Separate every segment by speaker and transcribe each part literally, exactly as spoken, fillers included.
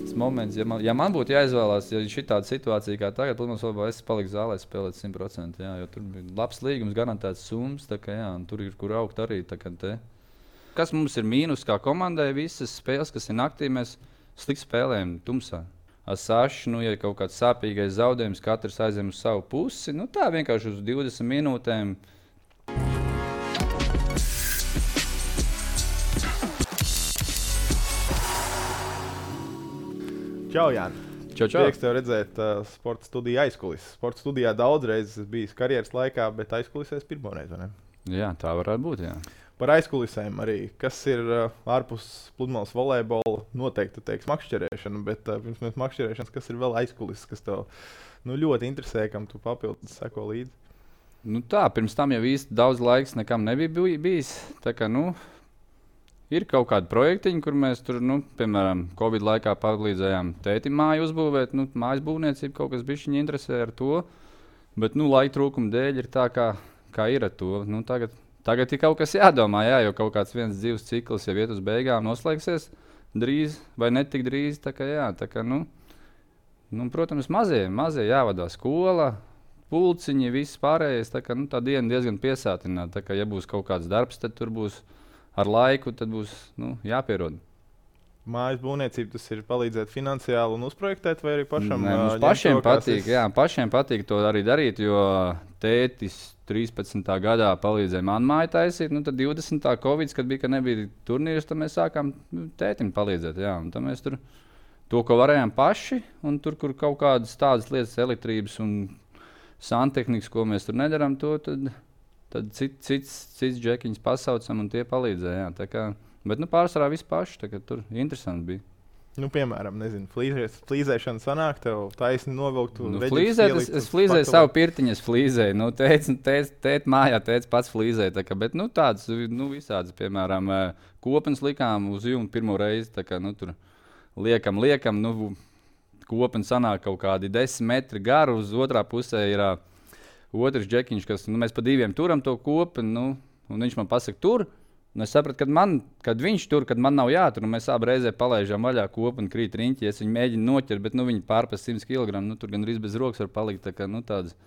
Speaker 1: tas moments, ja man, ja man būtu jāizvēlās, ja šī tāda situācija kā tagad, protams, vēl es paliku zālē spēlēt simt procenti, jā, jo tur bija labs līgums, garantēts summas, tā kā jā, un tur ir kur augt arī, tā kā te. Kas mums ir mīnus kā komandai, visas spēles, kas ir naktī, mēs slikti spēlējam tumsā. Asaši, nu, ja kaut kāds sāpīgais zaudējums, katrs aizem uz savu pusi, nu tā vienkārši uz divdesmit minūtēm.
Speaker 2: Čau, Jāni.
Speaker 1: Čau, čau.
Speaker 2: Prieks tev redzēt uh, sporta studiju aizkulisēs. Sporta studijā daudz reizes bijis karjeras laikā, bet aizkulisēs pirmoreiz, vai ne?
Speaker 1: Jā, tā varētu būt, jā.
Speaker 2: Par aizkulisēm arī. Kas ir uh, ārpus pludmales volejbola? Noteikti teiks makšķerēšana, bet uh, pirms mēs makšķerēšanas, kas ir vēl aizkulises, kas tev nu, ļoti interesē, kam tu papildus seko līdzi?
Speaker 1: Nu tā, pirms tam jau īsti daudz laiks nekam nebija bijis. Tā kā, nu, ir kaut kādi projektiņi, kur mēs tur, nu, piemēram, Covid laikā palīdzējām tētim māju uzbūvēt. Nu, mājas būvniecība kaut kas bišķiņi interesē ar to. Bet, nu, laika trūkuma dēļ ir tā, kā, kā ir ar to. Nu, tagad, tagad ir kaut kas jādomā, jā, jo kaut kāds viens dzīves cikls jau iet uz beigām noslēgsies drīz vai netik drīz. Tā kā, jā, tā kā, nu, nu, protams, mazie, mazie jāvadā skola, pulciņi, viss pārējais. Tā kā, nu, tā diena diezgan piesātināta. Tā kā, ja būs kaut kāds darbs, tad tur būs ar laiku, tad būs nu, jāpierod.
Speaker 2: Mājas būvniecība tas ir palīdzēt finansiāli un uzprojektēt, vai arī pašam?
Speaker 1: Nē, mums pašiem patīk, jā, pašiem patīk to arī darīt, jo tētis trīspadsmitā gadā palīdzēja man māju taisīt, nu tad divdesmitā Covid, kad bija, ka nebija turnīrs, tad mēs sākām nu, tētim palīdzēt, jā, un tad mēs tur to, ko varējām paši, un tur, kur kaut kādas tādas lietas, elektrības un santehnikas, ko mēs tur nedaram, to tad... Tad cits, cits, cits džekiņus pasaucam un tie palīdzēja. Jā, kā, bet nu, pārsvarā viss paši, tā kā tur interesanti bija.
Speaker 2: Nu, piemēram, nezinu, flīzēs, flīzēšana sanāk, tev taisni novilkt.
Speaker 1: Nu, flīzēt, es, es flīzēju savu pirtiņu, es flīzēju. Nu, tēc, tēc, tēt mājā tēc pats flīzēja. Tā kā, bet nu, tādas nu, visādas, piemēram, kopens likām uz jumta pirmo reizi. Tā kā, nu, tur liekam, liekam, nu, kopens sanāk kaut kādi desmit metri garu, uz otrā pusē ir... Otrs džekiņš, kas nu, mēs pa diviem turam to kopu, nu, un viņš man pasaka, tur. Un es sapratu, kad, man, kad viņš tur, kad man nav jātur, un mēs abi reizē palaižām vaļā kopu un krīt riņķi. Es viņu mēģinu noķert, bet nu, viņi pārpas simts kilogramu, nu, tur gan arī bez rokas var palikt. Tā kā nu, tāds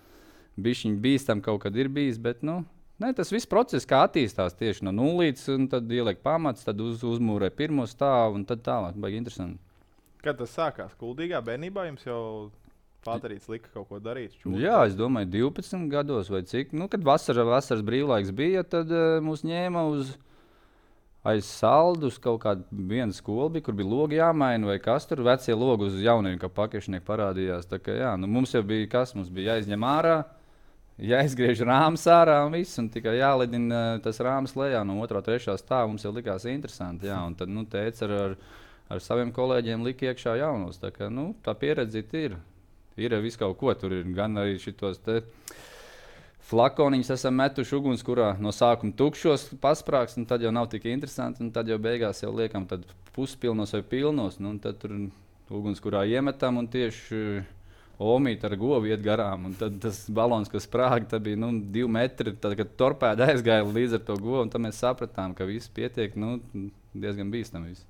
Speaker 1: bišķiņ bīstam kaut kad ir bijis, bet nu, ne, tas viss process kā attīstās tieši no nulītes, un tad ieliek pamats, tad uz, uzmūrē pirmo stāvu, un tad tālāk. Baigi interesanti.
Speaker 2: Kad tas sākās? Kuldīgā bērnībā jums jau... Pāterīts lika kaut ko darīt. Čūri.
Speaker 1: Jā, es domāju, divpadsmit gados vai cik. Nu, kad vasara, vasaras brīvlaiks bija, tad uh, mūs ņēma uz aiz saldu uz kaut kādu vienu skolu, bija, kur bija logi jāmaina vai kas tur. Vecie logi uz jauniem, kā pakešnieki parādījās. Tā kā, jā, nu, mums jau bija kas, mums bija jāizņem ārā, jāizgriež rāms ārā un viss, un tikai jālidina tas rāms lejā no otrā, trešā stāva. Mums jau likās interesanti, jā, un tad, nu, tēts ar, ar, ar saviem kolēģiem lika iekšā jaunos. Tā kā, nu, tā pieredzīt ir. Ir viss kaut ko, tur ir gan arī šitos te flakoniņus esam metuši ugunskurā no sākuma tukšos pasprāks, un tad jau nav tik interesanti, un tad jau beigās jau liekam tad puspilnos vai pilnos, nu, un tad tur ugunskurā iemetam, un tieši omīt ar govu iet garām, un tad tas balons, kas sprāga, tad bija, nu, divi metri, tad, kad torpēda aizgāja līdz ar to govu, un tad mēs sapratām, ka viss pietiek, nu, diezgan bīstam viss.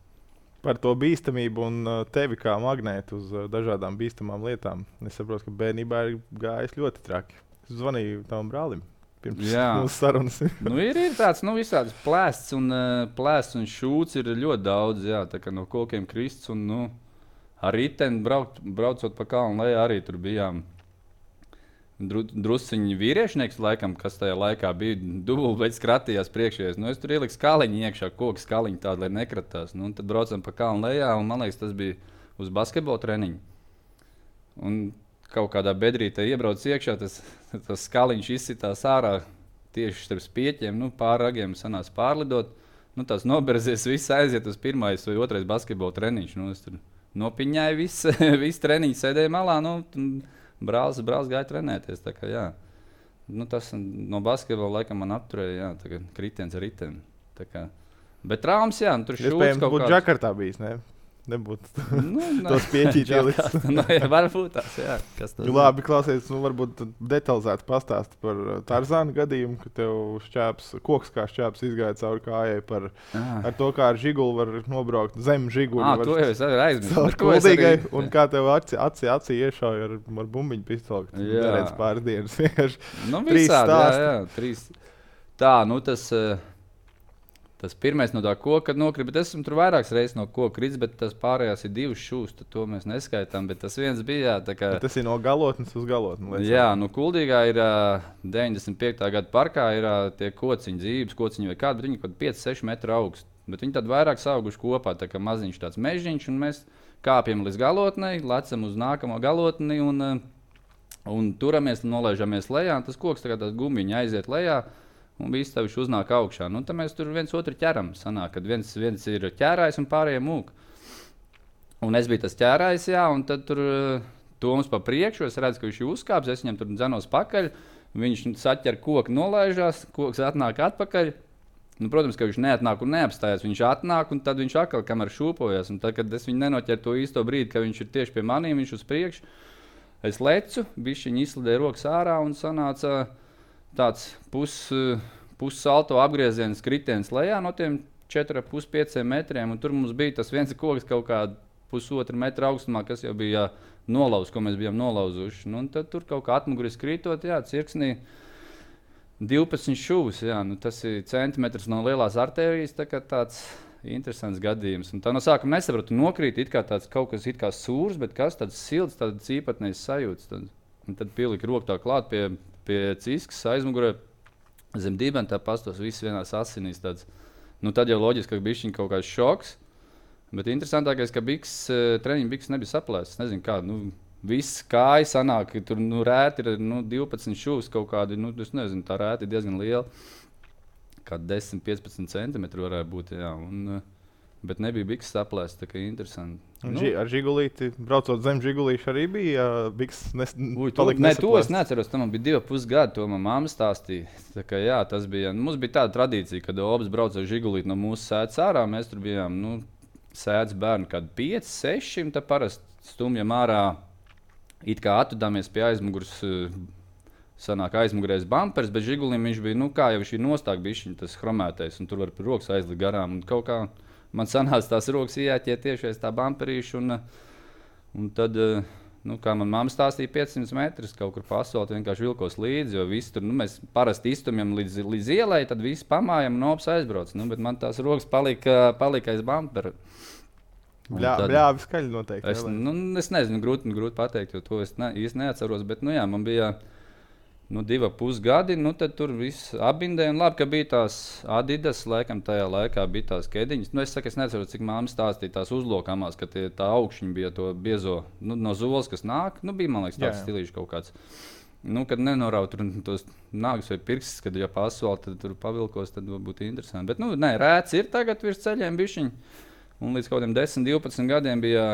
Speaker 2: Par to bīstamību un tevi kā magnētu uz dažādām bīstamām lietām. Es saprotu, ka bērnībā ir gājis ļoti traki. Es zvanīju tavam brālim pirms mūsu sarunas.
Speaker 1: nu, ir, ir tāds, nu, visāds plēsts un, plēsts un šūts ir ļoti daudz, jā, tā kā no kokiem krists un, nu, ar riteni braukt, braucot pa kalnu lejā arī tur bijām. Dru, drusciņi vīriešnieks, laikam, kas tajā laikā bija dubult, bet skratījās priekšējais. Nu, es tur ieliku skaliņu iekšā, koku skaliņu tādu, lai nekratās. Nu, tad braucam pa kalnu lejā, un man liekas, tas bija uz basketbola treniņu. Un kaut kādā bedrītē iebrauc iekšā, tas, tas skaliņš izsitās ārā tieši starp spieķiem, nu, pār ragiem sanās pārlidot. Nu, tās noberzies, viss aiziet uz pirmais vai otrais basketbola treniņš. Nu, es tur nopiņāju visu, visu treniņu, sēdēju malā, nu, Brālis, brālis gāja trenēties, tā kā, jā. Nu, tas no basketbola laikam man apturēja, jā, tā kā kritiens ar riteni, tā kā. Bet traumas, jā, nu, tur šūts kaut kāds.
Speaker 2: Iespējams, būtu Džakartā bijis, ne? nebūtu
Speaker 1: Nu,
Speaker 2: tos pieķīt ielis.
Speaker 1: Nu, jā, varbūt tās, jā. Kas tas
Speaker 2: Labi, klausies, nu varbūt detalizēti pastāsti par Tarzāna gadījumu, ka tev šķēps, koks kā šķēps izgāja cauri kājai par
Speaker 1: ah.
Speaker 2: ar to, kā ar žiguli var nobraukt zem žiguli.
Speaker 1: Ah, to jau es arī aizmirsu.
Speaker 2: Caur kuldīgai, arī... un kā tev aci, aci, aci iešauja ar, ar bumbiņu pistoli, ka tu neredz pāris dienas. Vienkārši
Speaker 1: nu,
Speaker 2: trīs
Speaker 1: visādi,
Speaker 2: stāsti.
Speaker 1: Jā, jā, trīs. Tā, nu tas... Uh... Tas pirmais no tā koka nokrita, bet esmu tur vairākas reizes no koka kritis, bet tas pārējās ir divas šūs, tad to mēs neskaitām, bet tas viens bija, jā, tā kā...
Speaker 2: Bet tas ir no galotnes uz galotni.
Speaker 1: Jā, nu Kuldīgā ir uh, deviņdesmit piektā gada parkā ir uh, tie kociņi, dzīves kociņi vai kādi, bet viņi kaut pieci seši metri augsti, bet viņi tad vairāk sauguši kopā, tā kā maziņš tāds mežiņš, un mēs kāpjam līdz galotnei, lecam uz nākamo galotni un, uh, un turamies, nolaižamies lejā, un tas koks tā kā tās gumbiņi aiziet lejā, un visi tavuši uznāk augšā. Nu, tad mēs tur viens otru ķeram. Sanāk, kad viens, viens ir ķērājs un pārējie mūk. Un es biju tas ķērājs, jā, un tad tur Toms pa priekšu, es redzu, ka viņš ir uzkāps, es viņam tur dzenos pakaļ, viņš saķer koku, nolaižās, koks atnāk atpakaļ. Nu, protams, ka viņš neatnāk un neapstājas, viņš atnāk, un tad viņš atkal kamēr šūpojas. Un tad, kad es viņu nenoķeru to īsto brīdi, ka viņš ir tieši pie maniem, viņš uz priekšu, es lecu, bišķiņi izslidēju rokas ārā un sanāca tāds pus, pussalto apgrieziens kritiens lejā no tiem četri komats pieci pieci metriem, un tur mums bija tas viens koks kaut kādā pusotra metra augstumā, kas jau bija nolauz, ko mēs bijām nolauzuši. Nu, un tad tur kaut kā atmuguris krītot, jā, cirksnī divpadsmit šūvis, jā, nu tas ir centimetrs no lielās artērijas, tā kā tāds interesants gadījums. Un tā no sākuma nesapratu, nokrīt it kā tāds kaut kas it kā sūrs, bet kas tāds silts, tāds īpatnējs sajūts. Tad, un tad pielika roku tā klāt pie pie ciskas aizmugurē, zem dibena tā pastos, viss vienās asinīs tāds. Nu, tad jau loģiski, ka bišķiņ kaut kāds šoks, bet interesantākais, ka biks, treniņu biks nebija saplēsts. Nezinu kā, nu, viss kāja sanāk, tur nu, rēti ir nu, divpadsmit šūvis kaut kādi, nu, es nezinu, tā rēti ir diezgan liela. Kā desmit piecpadsmit centimetri varētu būt, jā. Un, bet nebija biks saplēsts, tā kā interesanti.
Speaker 2: Un
Speaker 1: nu,
Speaker 2: ži, ar žigulīti, braucot zem žigulīša arī bija biks nes,
Speaker 1: uj, to, ne, to es neatceros, tam man bija divi pus gadi, to man mamma stāstīja. Tā kā jā, tas bija, mums bija tāda tradīcija, kad obas brauc ar žigulīti no mūsu sēdes ārā, mēs tur bijām, nu, sēdes bērni kādi pieci, seši, un tā parasti stumjam ārā, it kā atvedāmies pie aizmugurs, sanāk aizmugurēs bumpers, bet žigulim viņš bija, nu kā jau viņš ir nostāk bišķiņ, tas chromētais, un tur var pie rokas aizlikt garām, un kaut kā man sanāca tās rokas iejāķiet tieši aiz tā bumperīša, un, un tad, nu, kā man mamma stāstīja, piecsimt metrus kaut kur pa asfaltu vienkārši vilkos līdzi, jo visi tur, nu, mēs parasti iztumjam līdz, līdz ielai, tad visi pamājam un ops aizbrauc, nu, bet man tās rokas palika, palika aiz bumpera.
Speaker 2: Bļā, tad, bļāvi skaļi noteikti.
Speaker 1: Es, nu, es nezinu, grūti, grūti pateikt, jo to es ne, īsti neatceros, bet, nu jā, man bija nu, divi pus gadi, nu tad tur viss apbindēja, un labi, ka bija tās Adidas, laikam tajā laikā bija tās kediņas. Nu, es saku, es neceru, cik māma stāstīja tās uzlokamās, ka tie, tā augšņi bija to biezo, nu, no zoles, kas nāk, nu, bija, man liekas, tāds stilīšs kaut kāds. Nu, kad nenorauj tur tos nāgus vai pirkstus, kad jau pa asfaltu, tad tur pavilkos, tad būtu interesanti. Bet, nu, nē, rēts ir tagad virs ceļiem bišķiņi, un līdz kaut kādiem desmit divpadsmit gadiem bija,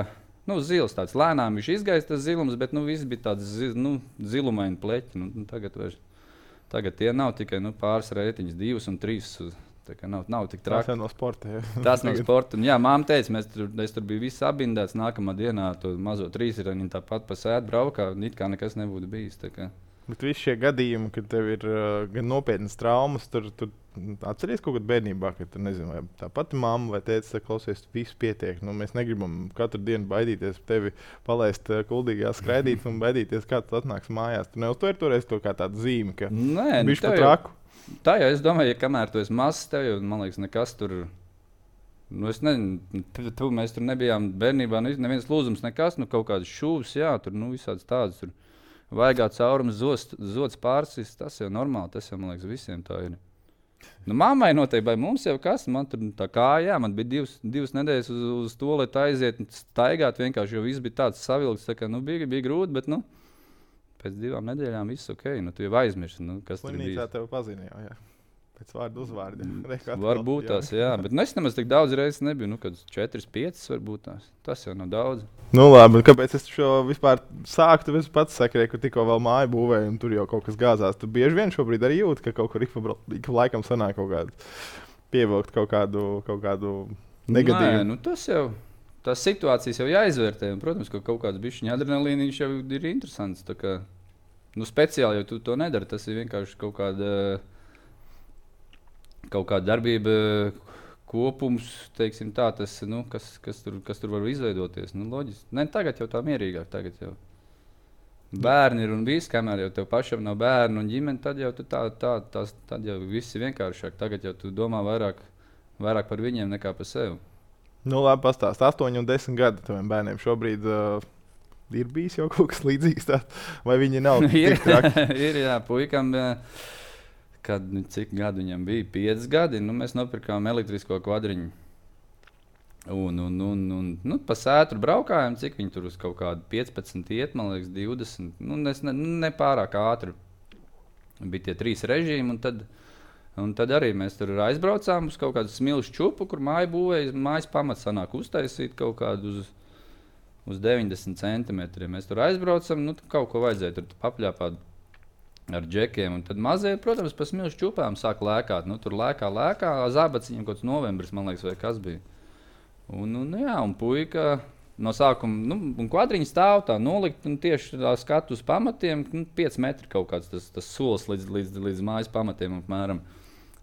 Speaker 1: nu, zils tāds lēnām, viņš izgais tas zilums, bet, nu, viss bija tāds, zi, nu, zilumaini pleķi. Nu, tagad, vairs, tagad tie nav tikai, nu, pāris reitiņas, divas un trīs, tā kā nav, nav tik traki.
Speaker 2: Tas jau no sporta, jā.
Speaker 1: Tas no sporta, un jā, māma teica, mēs tur, es tur biju viss apbindēts, nākamā dienā to mazo trīsirani tāpat pa sētu braukā, it kā nekas nebūtu bijis, tā kā.
Speaker 2: Bet visi šie gadījumi, kad tev ir uh, gan nopietnas traumas, tur, tur atceries kaut kad bērnībā, kad tu nezinu, vai tā pati mamma vai tētis, klausies, viss pietiek. Nu, mēs negribam katru dienu baidīties tevi palaist uh, kuldīgā skraidīt un baidīties, kā tu atnāks mājās. Tu neuztver toreiz to kā tādu zīmi, ka
Speaker 1: Nē,
Speaker 2: bišķi pa traku?
Speaker 1: Tā jau es domāju, ja kamēr tu esi mazs, tev jau, man liekas, nekas tur, nu es nezinu, tu, tu, mēs tur nebijām bērnībā, nu, neviens lūzums nekas, nu kaut kādas šūvas, jā, tur, nu visādas tādas tur. Vaigā caurums, zots, zots pārsis, tas jau normāli, tas jau, man liekas, visiem tā ir. Nu, mammai noteikti, vai mums jau kas, man tur tā kā, jā, man bija divas, divas nedēļas uz, uz to, lai tā aiziet un staigāt vienkārši, jo viss bija tāds savilks, tā kā, nu, bija, bija grūti, bet, nu, pēc divām nedēļām viss ok, nu, tu jau aizmirsti, nu, kas tur bija.
Speaker 2: Slimnīcā tev pazina jau, jā. Pēc vārdu uzvārdi.
Speaker 1: Varbūt tās, jā, bet nu, es nemaz tik daudz reizes nebiju, nu, kad četras, piecas varbūt tās. Tas jau nav daudz.
Speaker 2: Nu labi, kāpēc es šo vispār sāku, tu pats sakrēji, ka tikko vēl māju būvēju un tur jau kaut kas gāzās. Tu bieži vien šobrīd arī jūti, ka kaut kur ik pa laikam sanāk kaut kādu pievilkt kaut kādu, kaut kādu negadījumu.
Speaker 1: Nē, nu tas jau, tās situācijas jau jāizvērtē. Un, protams, ka kaut kāds bišķiņa adrenalīniņš jau ir interesants. Tā kā, nu, speciāli jau tu to nedari. Tas ir vienkārši kaut kāda, kaut kāda darbība kopums, teiksim tā, tas, nu, kas, kas, tur, kas tur var izveidoties. Nu, loģiski. Ne, tagad jau tā mierīgāk. Tagad jau bērni ir un viss, kamēr jau tev pašam nav bērnu un ģimene, tad jau, tā, tā, tās, tad jau viss ir vienkāršāk. Tagad jau tu domā vairāk, vairāk par viņiem nekā par sevi.
Speaker 2: Nu, labi, pastāst. astoņi un desmit gadi taviem bērniem šobrīd uh, ir bijis jau kaut kas līdzīgs. Tā, vai viņi nav tik traki?
Speaker 1: Ir, jā, puikam, kad, cik gadu viņam bija? pieci gadi. Nu, mēs nopirkām elektrisko kvadriņu. Un, un, un, un nu, pa sētru braukājām, cik viņi tur uz kaut kādu piecpadsmit iet, man liekas, divdesmit. Nu, ne, ne pārāk ātri. Bija tie trīs režīmi, un tad... Un tad arī mēs tur aizbraucām uz kaut kādu smilšu čupu, kur māja būvēja. Mājas pamats sanāk uztaisīt kaut kādu uz, uz deviņdesmit centimetriem. Mēs tur aizbraucam, nu kaut ko vajadzēja tur papļāpāt ar džekiem. Un tad mazie, protams, pa smilšu čupām sāk lēkāt. Nu, tur lēkā, lēkā, zābaciņiem kaut kāds novembris, man liekas, vai kas bija. Un, un jā, un puika no sākuma, nu, un kvadriņi stāv tā nolikt, un tieši tā skatu uz pamatiem, nu, pieci metri kaut kāds tas, tas solis līdz, līdz, līdz mājas pamatiem apmēram.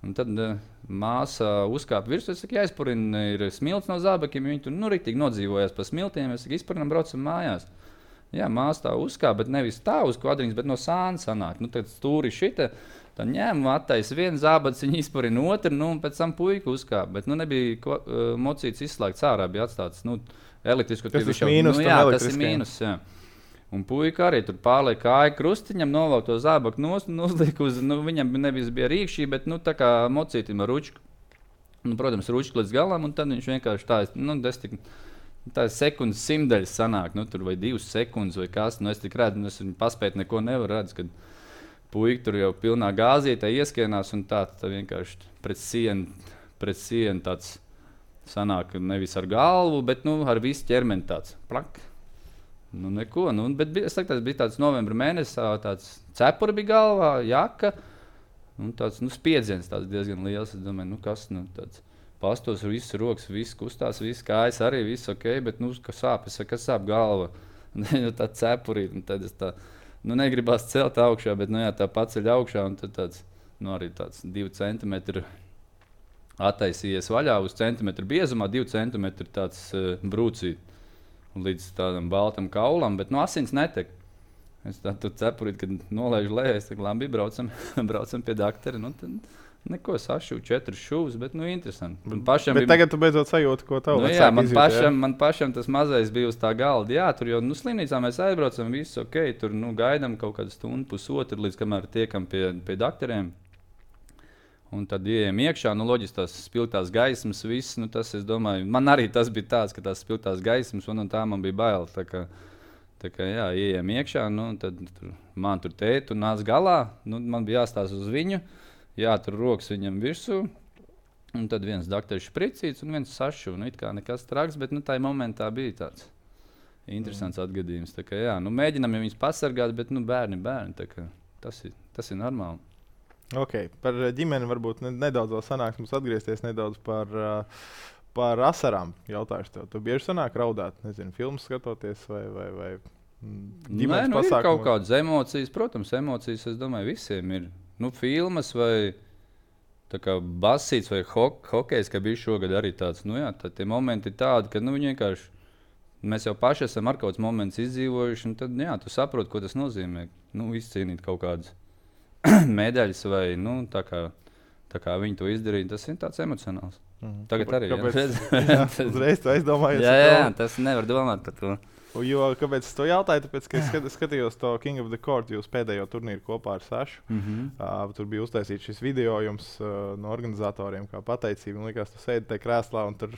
Speaker 1: Un tad uh, māsa uzkāpa virsū, es saku, jāizpurina ir smilts no zābakiem, viņi tur nu riktīgi nodzīvojās pa smiltiem, es saku, izpurinam, braucam mājās. Jā, māsa tā uzkāpa, bet nevis tā uz kvadriņas, bet no sāna sanāk. Nu, tad stūri šita, tad ņēma, attaisa vienu zābaciņu, izpurina otru, nu, un pēc tam puika uzkāpa. Bet, nu, nebija ko, uh, mocīts izslēgts ārā, bija atstāts, nu, elektrisku.
Speaker 2: Tas ir mīnus,
Speaker 1: nu, jā, tas ir mīnus, jā. Un puika arī tur pārliek kāju krustiņam, novelk to zābaku nost un uzliek uz, nu, viņam nevis bija rīkšķī, bet, nu, tā kā mocītim ar ručku. Nu, protams, ručku līdz galam, un tad viņš vienkārši tā, nu, es tik, tā sekundes simdaļas sanāk, nu, tur vai divas sekundes vai kas, nu, es tik redzu, nu, es viņu paspēt neko nevaru redz, kad puika tur jau pilnā gāzītē ieskienās, un tā, tā vienkārši pret sienu, pret sienu tāds sanāk nevis ar galvu, bet, nu, ar visu ķermeni tāds, plak. Nu, neko, nu, bet bija, es saku, tas bija tāds novembra mēnesis, tāds cepura bija galvā, jaka, un tāds, nu, spiedziens tāds diezgan liels, es domāju, nu, kas, nu, tāds pastos, viss rokas, viss kustās, viss kājas arī, viss ok, bet, nu, kas sāp, es saku, kas sāp galva, un tā cepurīt, un tad es tā, nu, negribās celt augšā, bet, nu, jā, tā paceļ augšā, un tad tāds, nu, arī tāds divi centimetri attaisījies vaļā uz centimetru biezumā, divi centimetri tāds uh, brūcīt. Līdz tādam baltam kaulam, bet no asins netek. Es tādu cepurīti, kad nolaižu lejā, es tā labi braucam, braucam pie daktera. Nu, tad neko sašūju, četras šūvas, bet, nu, interesanti. Man pašam
Speaker 2: bet
Speaker 1: bija...
Speaker 2: tagad tu beidzot sajūti, ko tev
Speaker 1: nu,
Speaker 2: vecāki
Speaker 1: jā, man
Speaker 2: izjūt,
Speaker 1: pašam,
Speaker 2: jā?
Speaker 1: man pašam tas mazais bija uz tā galda. Jā, tur jau, nu, slimnīcā mēs aizbraucam, viss ok, tur, nu, gaidam kaut kādu stundu, pusotru, līdz kamēr tiekam pie, pie dakteriem. Un tad ieejam iekšā, nu, loģiski tās spilgtās gaismas, viss, nu, tas, es domāju, man arī tas bija tāds, ka tās spilgtās gaismas, un, un tā man bija bail, tā kā, tā kā, jā, ieejam iekšā, nu, tad tur, man tur tēt, un nāc galā, nu, man bija jāstās uz viņu, jātur rokas viņam virsū, un tad viens dakteris špricīts, un viens sašu, nu, it kā nekas traks, bet, nu, tajā momentā bija tāds interesants mm. atgadījums, tā kā, jā, nu, mēģinam viņus pasargāt, bet, nu, bērni, bērni, tā kā, tas ir, tas ir normāli.
Speaker 2: Ok, par ģimeni varbūt nedaudz vēl sanāks mums atgriezties nedaudz par, par asarām jautāšu tev. Tu bieži sanāk raudāt, nezinu, filmas skatoties vai, vai, vai ģimenes
Speaker 1: Nē, nu,
Speaker 2: pasākumus?
Speaker 1: Ir kaut kādas emocijas, protams, emocijas, es domāju, visiem ir. Nu, filmas vai tā kā basīts vai ho hokejs, ka bija šogad arī tāds, nu jā, tad tie momenti ir tādi, ka, nu, vienkārši mēs jau paši esam ar kaut kāds moments izdzīvojuši, un tad, jā, tu saproti, ko tas nozīmē, nu, izcīnīt kaut kādas medaļas vai, nu, tā kā, tā kā viņi to izdarīja, tas ir tāds emocionāls. Mm. Tagad arī,
Speaker 2: kāpēc,
Speaker 1: jā.
Speaker 2: jā, uzreiz tu aizdomājies.
Speaker 1: jā, jā, tas nevar domāt par to.
Speaker 2: Jo, kāpēc es to jautāju? Tāpēc, ka es skat, skatījos to King of the Court, jūs pēdējo turnīru kopā ar Sašu. Mm -hmm. uh, tur bija uztaisīts šis video jums uh, no organizatoriem kā pateicība. Man liekas, tu sēdi tajā krēslā un tur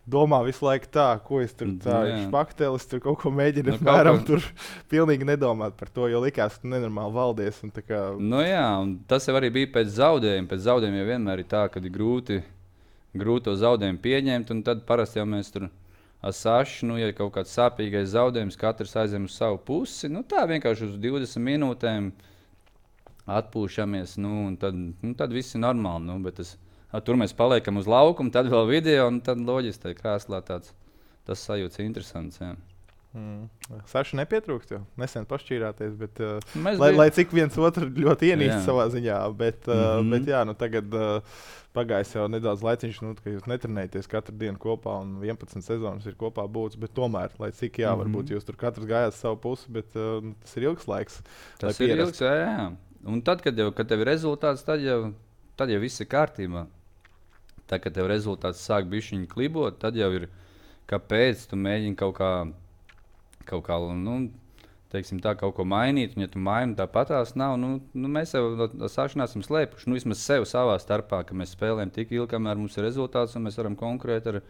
Speaker 2: domā visu laiku tā, ko es tur tā špaktelis, tur kaut ko mēģinu, nu, apmēram ko... tur pilnīgi nedomāt par to, jo likās, ka tu nenormāli valdies. Un tā kā...
Speaker 1: Nu jā, un tas jau arī bija pēc zaudējuma. Pēc zaudējuma jau vienmēr ir tā, kad ir grūti, grūti to zaudējumu pieņemt, un tad parasti jau mēs tur ar Sašu, nu, ja ir kaut kāds sāpīgais zaudējums, katrs aizem uz savu pusi, nu tā vienkārši uz divdesmit minūtēm atpūšamies, nu, un tad, nu, tad viss ir normāli, nu, bet tas, tur mēs paliekam uz laukumu, tad vēl video, un tad loģiski tā krēslā tāds tas sajūts interesants. Jā.
Speaker 2: Mm. Saša nepietrūkst, jo nesen pašķīrāties, bet uh,
Speaker 1: Mēs
Speaker 2: lai,
Speaker 1: bijām-
Speaker 2: lai cik viens otru ļoti ienīst
Speaker 1: Jā.
Speaker 2: savā ziņā, bet, uh,
Speaker 1: Mhm.
Speaker 2: bet jā, nu tagad uh, pagājis jau nedaudz laiciņš, nu, ka jūs netrenējaties katru dienu kopā un vienpadsmit sezonas ir kopā būts, bet tomēr, lai cik jā,
Speaker 1: Mhm.
Speaker 2: varbūt jūs tur katrs gājāt savu pusi, bet uh, tas ir ilgs laiks. lai
Speaker 1: Tas ir
Speaker 2: pierastu.
Speaker 1: ilgs, jā, jā. Un tad, kad, jau, kad tev ir rezultāts, tad jau, tad jau viss ir kārtībā. Tad, kad tev rezultāts sāk bišķiņi klibot, tad jau ir, kāpēc tu mēģini kaut kā, kaut kā, nu, teiksim tā, kaut ko mainīt, un ja tu maini, tāpat tās nav, nu, nu mēs jau no no sākšanās esam slēpuši, nu, vismaz sev savā starpā, ka mēs spēlējam tik ilgi, kamēr mums ir rezultāts, un mēs varam konkurēt ar,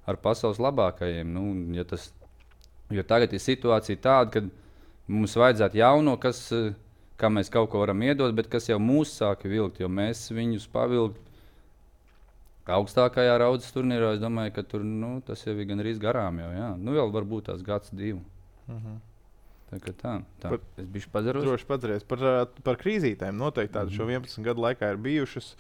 Speaker 1: ar pasaules labākajiem. Nu, un ja tas, jo tagad ir situācija tāda, ka mums vajadzētu jauno, kas, eh, kā mēs kaut ko varam iedot, bet kas jau mūs sāka vilkt, jo mēs viņus pavilkt augstākajā raudzes turnīrā. Es domāju, ka tur, nu, tas jau ir gandrīz garām jau, jā. Nu, vēl varbūt tās gads, divi.
Speaker 2: Mhm.
Speaker 1: Tā kā tā, tā.
Speaker 2: Par-
Speaker 1: Es bišķi pazaros.
Speaker 2: Droši padzeries par, uh, par krīzītēm. Noteikti tādas
Speaker 1: Mhm.
Speaker 2: šo vienpadsmit gadu laikā ir bijušas.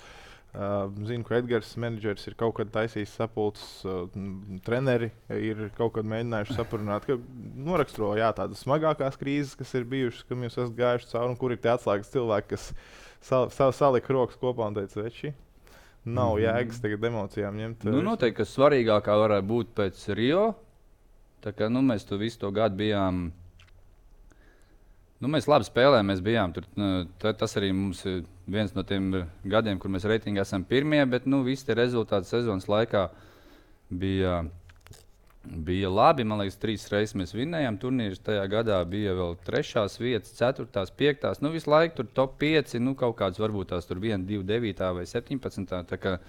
Speaker 2: Uh, zinu, ka Edgars, menedžers, ir kaut kad taisījis sapulces, uh, m, treneri ir kaut kad mēģinājuši saprunāt, ka noraksturo jā, tādas smagākās krīzes, kas ir bijušas, kam jūs esat gājuši cauri, un kur ir tie atslēgas cilvēki, kas sal, sal, salika rokas kopā un teica, veči, nav
Speaker 1: Mhm.
Speaker 2: jēgas tagad emocijām ņemt.
Speaker 1: Nu, noteikti, ka svarīgākā varētu būt pēc Rio. Tā kā nu, mēs to visu to gadu bijām. Nu, mēs labi spēlējām, mēs bijām tur. nu, ta- Tas arī mums ir viens no tiem gadiem, kur mēs reitingā esam pirmie, bet nu, visi tie rezultāti sezonas laikā bija, bija labi. Man liekas, trīs reizes mēs vinnējām turnīrus. Tajā gadā bija vēl trešās vietas, ceturtās, piektās. Nu, visu laiku tur top pieci, nu, kaut kāds varbūt tās tur viena, divi, devītā vai septiņpadsmitā. Tā kā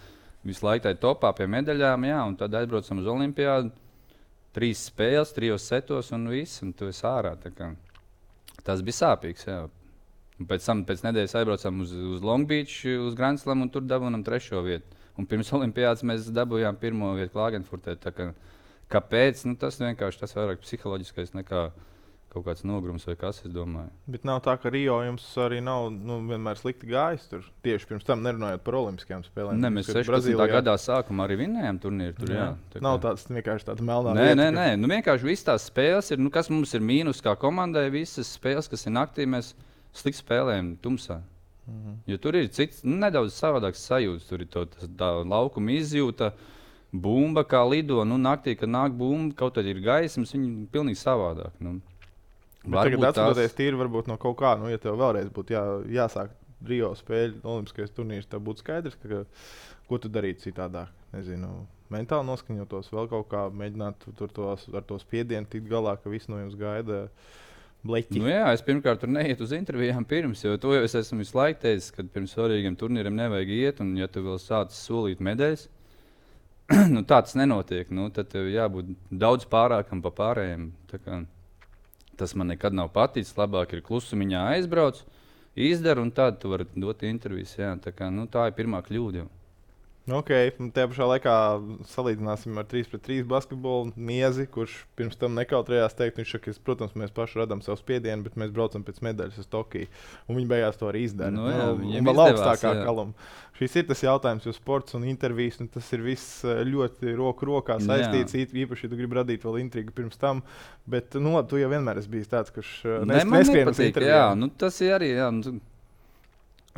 Speaker 1: visu laiku tā ir topā pie medaļām, jā, un tad aizbraucam uz Olimpiādu. Trīs spēles, trijos setos un viss, un tu esi ārā. tā kā. Tas bija sāpīgs. Jā. Un pēc tam pēc nedēļas aizbraucām uz, uz Long Beach, uz Grand Slam, un tur dabūjām trešo vietu. Un pirms Olimpiādas mēs dabūjām pirmo vietu Klagenfurtē. tā kā- Kāpēc? Nu, tas vienkārši tas vairāk psiholoģiskais nekā kaut kāds nogrums vai kas, es domāju.
Speaker 2: Bet nav tā, ka Rio jums arī nav nu, vienmēr slikti gājis tur. Tieši pirms tam nerunājot par Olimpiskajām spēlēm.
Speaker 1: Ne, mēs
Speaker 2: Kad
Speaker 1: sešpadsmitā gadā sākumā arī vinnējām turnīru. Tur, jā.
Speaker 2: Jā.
Speaker 1: Tā
Speaker 2: Nav
Speaker 1: kā-
Speaker 2: tāds vienkārši tāds melnā
Speaker 1: Nē,
Speaker 2: vieta,
Speaker 1: nē,
Speaker 2: ka-
Speaker 1: nē. Nu, vienkārši viss tās spēles ir. Nu, kas mums ir mīnus kā komandai? Visas spēles, kas ir naktī, mēs slikti spēlējam tumsā.
Speaker 2: Mhm.
Speaker 1: Jo tur ir cits, nu, nedaudz savādāks sajūta. Tur ir to, tas, tā laukuma izjūta, bumba kā lido. Nu, naktī, kad nāk bumba, kaut tad ir gaismas, viņi ir pilnīgi savādāk. Nu.
Speaker 2: Bet tagad atskatoties tīri varbūt no kaut kā, nu, ja tev vēlreiz būtu jā, jāsāk Rio spēļu, Olimpiskais turnīrs, tad būtu skaidrs, ka, ka, ko tu darītu citādāk. Nezinu, mentāli noskaņotos, vēl kaut kā mēģināt tur tos, ar to spiedienu tikt galā, ka viss no jums gaida bleķi.
Speaker 1: Nu, jā, es pirmkārt tur neietu uz intervijām pirms, jo to jau es esmu visu laiku teicis, ka pirms svarīgiem turnīriem nevajag iet, un ja tu vēl sācis solīt medaļas, nu, tā tas nenotiek. Nu, tad tev jābūt daudz pārākam pa pārējiem. Tā kā tas man nekad nav paticis. Labāk ir klusumiņā aizbrauc, izdara, un tad tu vari dot intervijas. Jā. Tā, kā, nu, tā ir pirmā kļūda. Jau.
Speaker 2: Ok, un tajā pašā laikā salīdzināsim ar trīs pret trīs basketbolu Miezi, kurš pirms tam nekautrējās teikt, viņš saka, ka, protams, mēs paši radām savu spiedienu, bet mēs braucam pēc medaļas uz Tokiju. Un viņi beigās to arī izdara.
Speaker 1: Nu, jā,
Speaker 2: un
Speaker 1: viņiem
Speaker 2: vēl
Speaker 1: izdevās,
Speaker 2: augstākā
Speaker 1: jā.
Speaker 2: kaluma. Šis ir tas jautājums, jo sports un intervijas, un tas ir viss eh, ļoti roku rokā saistīts. īt- Īpaši, ja tu gribi radīt vēl intrigu pirms tam. Bet, nu, labi, tu jau vienmēr esi bijis tāds, kurš eh,
Speaker 1: Ne,
Speaker 2: nes-
Speaker 1: man
Speaker 2: neskrien uz
Speaker 1: nepatīk, jā,
Speaker 2: intervijām.
Speaker 1: nu, tas ir arī. Jā, nu,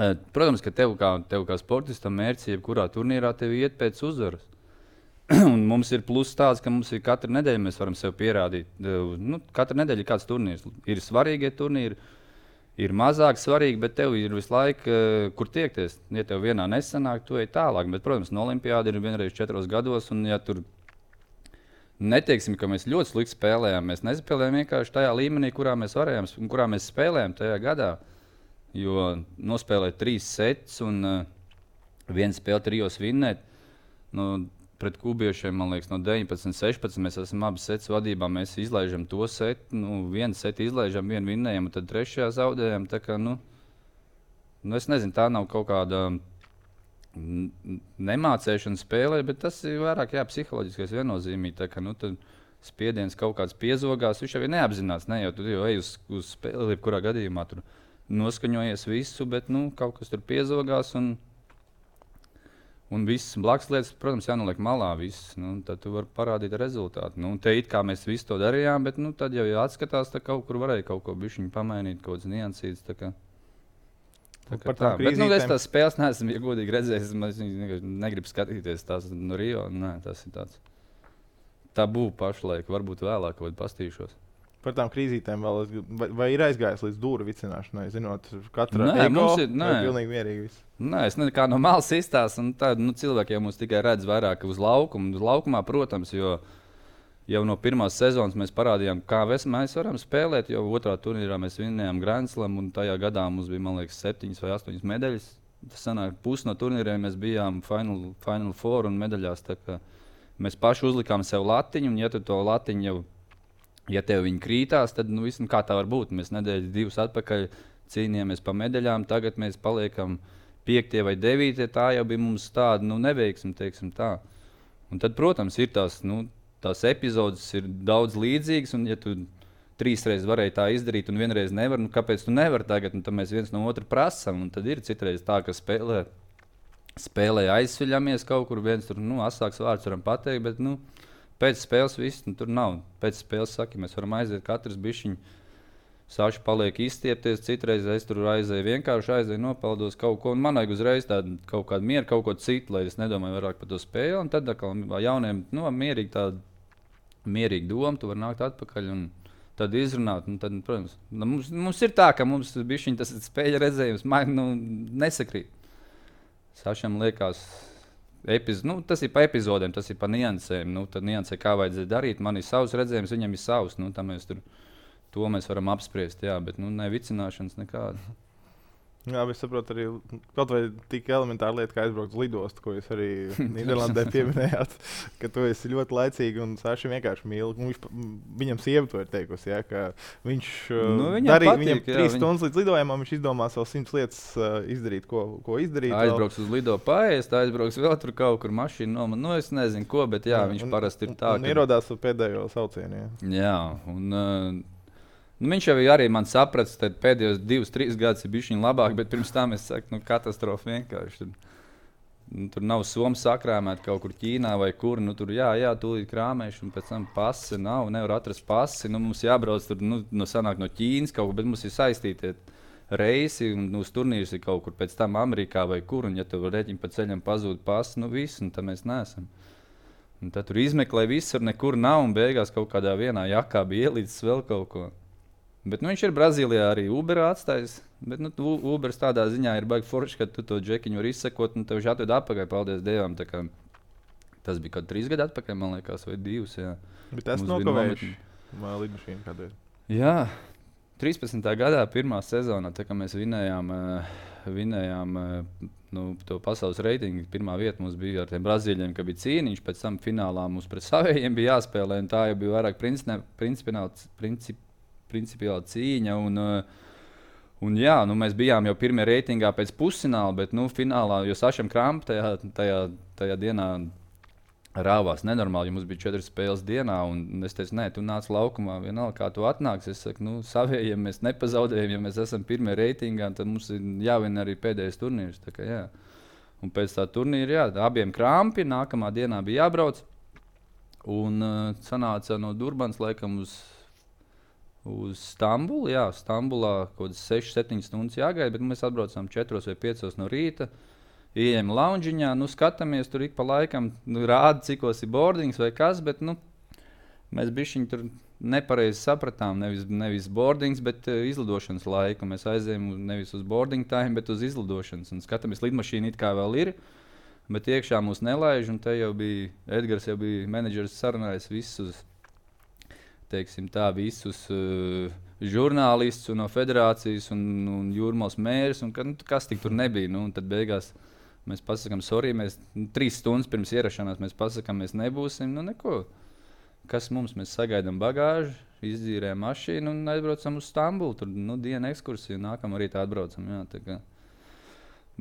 Speaker 1: Eh, Protams, ka tev kā, tev kā sportistam mērķis, jebkurā turnīrā, tev iet pēc uzvaras. Un mums ir pluss tāds, ka mums ir katru nedēļu mēs varam sev pierādīt. Eh, Nu, katru nedēļu ir kāds turnīrs. Ir svarīgie turnīri, ir mazāk svarīgi, bet tev ir visu laiku, eh, kur tiekties. Ja tev vienā nesanāk, tu ej tālāk. Bet, protams, no Olimpiāda ir vienreiz četros gados. Un, ja tur neteiksim, ka mēs ļoti slikti spēlējām, mēs nespēlējām vienkārši tajā līmenī, kurā mēs varējām un kurā mēs spēlējām tajā gadā. Jo nospēlēt trīs sets un uh, vienu spēli trijos vinnēt. Nu, pret kubiešiem, man liekas, no deviņpadsmit, sešpadsmit mēs esam abi sets vadībā. Mēs izlaižam to setu, nu, vienu setu izlaižam, vienu vinnējam, un tad trešajā zaudējam. Tā kā, nu, nu, es nezinu, tā nav kaut kāda n- n- nemācēšana spēlē, bet tas ir vairāk jā, psiholoģiskais viennozīmīgi. Tā kā, nu, tad spiediens kaut kāds piezogās, viņš jau ir neapzināts. Ne, jo tu jau ej uz, uz spēli, jebkurā gadījumā tur noskaņojies visu, bet nu, kaut kas tur piezogās. Un, Un viss blakus lietas, protams, jānoliek malā. Viss, nu, tad tu vari parādīt rezultātu. Nu, te it kā mēs visu to darījām, bet nu, tad jau jāatskatās, ka kaut kur varēja kaut ko bišķiņu pamainīt, kaut kāds niansīts. Tā kā, tā kā tā. Bet nu, es tās spēles neesmu, ja godīgi redzējis. Es negribu skatīties tās no Rio. Nē, tas ir tāds tabū pašlaik. Varbūt vēlāk kaut kādā pastīšos.
Speaker 2: Par tām krīzītēm vēl, vai, vai ir aizgājis līdz dūru vicināšanai, zinot, katra
Speaker 1: nē,
Speaker 2: ego,
Speaker 1: ir, nē.
Speaker 2: vai pilnīgi mierīgi viss?
Speaker 1: Nē, es nekā no malas izstāstu, un tā, nu, cilvēki jau mūs tikai redz vairāk uz laukumu. Uz laukumā, protams, jo jau no pirmās sezonas mēs parādījām, kā mēs varam spēlēt, jo otrā turnīrā mēs vinnējām Grand Slam, un tajā gadā mums bija, man liekas, septiņas vai astoņas medaļas. Tas sanāk, pusi no turnīriem mēs bijām Final, final Four un medaļās, tā kā mēs paši uzlikām sev latiņu, un ja tu to latiņu jau Ja tev viņi krītās, tad nu, viss, kā tā var būt. Mēs nedēļas divas atpakaļ cīnījāmies par medaļām, tagad mēs paliekam piektie vai devītie. Tā jau bija mums tāda nu, neveiksme, teiksim tā. Un tad, protams, ir tās, nu, tās epizodes ir daudz līdzīgas, un ja tu trīs reizes varēji tā izdarīt un vienreiz nevar, nu kāpēc tu nevari tagad? Un tad mēs viens no otra prasam, un tad ir citreiz tā, ka spēlē, spēlē aizsviļamies kaut kur, viens tur, nu, asāks vārds varam pateikt, bet, nu, pēc spēles viss nu, tur nav. Pēc spēles saka, mēs varam aiziet katrs bišķiņ. Saši paliek izstiepties, citreiz es tur aizēju, vienkārši aizēju, nopeldos kaut ko. Un man vajag uzreiz tādu kaut kādu mieru, kaut ko citu, lai es nedomāju vairāk par to spēli. Un tad atkal jauniem, nu, mierīgi tādu, mierīgi domu, tu vari nākt atpakaļ un tad izrunāt. Un tad, protams, mums, mums ir tā, ka mums bišķiņ tas spēļa redzējums man, nu, nesakrīt. Sašam liekas... Epiz... Nu, tas ir pa epizodēm, tas ir pa niansēm. Nu, tad niansē, kā vajadzēja darīt. Man ir savs redzējums, viņam ir savs. Nu, mēs tur, to mēs varam apspriest, jā, bet nu, ne vicināšanas nekāda.
Speaker 2: Jā, bet es saprotu arī kaut vai tik elementāra lieta, kā aizbraukt uz lidostu, ko jūs arī Nīderlandē pieminējāt, ka tu esi ļoti laicīgi un Saši vienkārši mīl. Viņš, viņam sieva to ir teikusi, ja, ka viņš
Speaker 1: nu, viņam
Speaker 2: darīja
Speaker 1: patīk,
Speaker 2: viņam
Speaker 1: jā,
Speaker 2: trīs
Speaker 1: viņ...
Speaker 2: stundas līdz lidojumam, viņš izdomās vēl simts lietas uh, izdarīt, ko, ko izdarīt.
Speaker 1: Aizbrauks vēl. Uz lido paēst, aizbrauks vēl tur kaut kur mašīnu noman. Nu, es nezinu ko, bet jā, jā viņš un, parasti ir tā,
Speaker 2: un, un ka... ierodās uz pēdējo saucienu. Jā,
Speaker 1: jā un... Uh... Nu, viņš jau arī man saprata, ka pēdējos divus, trīs gadus ir bijis viņa labāk, bet pirms tam es saku, nu, katastrofa vienkārši. Tur, nu, tur nav somu sakrāmēta kaut kur Ķīnā vai kur. Nu, tur jā, jā, tūlīt krāmēšu, un pēc tam pasi nav, nevar atrast pasi. Nu, mums jābrauc tur, nu, no sanāk no Ķīnas kaut kur, bet mums ir saistīti reisi, un nu, uz turnīrs ir kaut kur pēc tam Amerikā vai kur. Un ja tev reķiņi pa ceļam pazūd pasi, nu viss, un tad mēs neesam. Un tad tur izmeklē visur, nekur nav, un beigās kaut kādā vienā jakā bija ielīdzis vēl kaut ko. Bet nu, viņš ir Brazīlijā arī Uberā atstājis. Bet nu, Ubers tādā ziņā ir baigi forši, ka tu to džekiņu vari izsekot un tev viņš atved atpakaļ, paldies Dievam. Kā, tas bija kaut trīs gadi atpakaļ, man liekas, vai divus. Jā.
Speaker 2: Bet tas nokavējuši lidmašīnu kādreiz.
Speaker 1: Jā, trīspadsmitā gadā pirmā sezonā, tā kā mēs vinējām, vinējām nu, to pasaules reitingu. Pirmā vieta mums bija ar tiem Brazīļiem, ka bija cīniņš, pēc tam finālā mums pret savējiem bija jāspēlē, un tā jau bija vairāk principiāli princip, principiāla cīņa. Un, un jā, nu, mēs bijām jau pirmie reitingā pēc pusfināla, bet nu, finālā, jo Sašam Kramp tajā, tajā, tajā dienā rāvās nenormāli, jo mums bija četras spēles dienā. Un es teicu, nē, tu nāc laukumā, vienalga, kā tu atnāks. Es saku, nu, savējiem mēs nepazaudējam, ja mēs esam pirmie reitingā, tad mums ir jāvien arī pēdējais turnīrs. Tā kā, jā. Un pēc tā turnīra, jā, abiem Krampi, nākamā dienā bija jābrauc. Un uh, sanāca no Durbans laikam uz Uz Stambulu, jā, Stambulā kaut kādas sešas, septiņas stundas jāgaida, bet mēs atbraucām četros vai piecos no rīta. Ieejam loungiņā, nu skatāmies tur ik pa laikam, nu, rāda, cikos ir boardings vai kas, bet nu, mēs bišķiņ tur nepareizi sapratām, nevis, nevis boardings, bet uh, izlidošanas laiku. Mēs aizējam nevis uz boarding time, bet uz izlidošanas. Un skatāmies, lidmašīna it kā vēl ir, bet iekšā mūs nelaiž, un te jau bija, Edgars jau bija menedžers sarunājis visus. Teiksim, tā, visus uh, žurnālistus no federācijas un, un jūrmālas mērs, un ka, nu, kas tik tur nebija. Nu, tad beigās mēs pasakām, sorry, mēs nu, trīs stundas pirms ierašanās mēs pasakām, mēs nebūsim, nu neko. Kas mums, mēs sagaidām bagāžu, izdzīrējam mašīnu un aizbraucam uz Stambulu. Tur nu, diena ekskursija, nākamā rītā atbraucam. Jā, tā kā.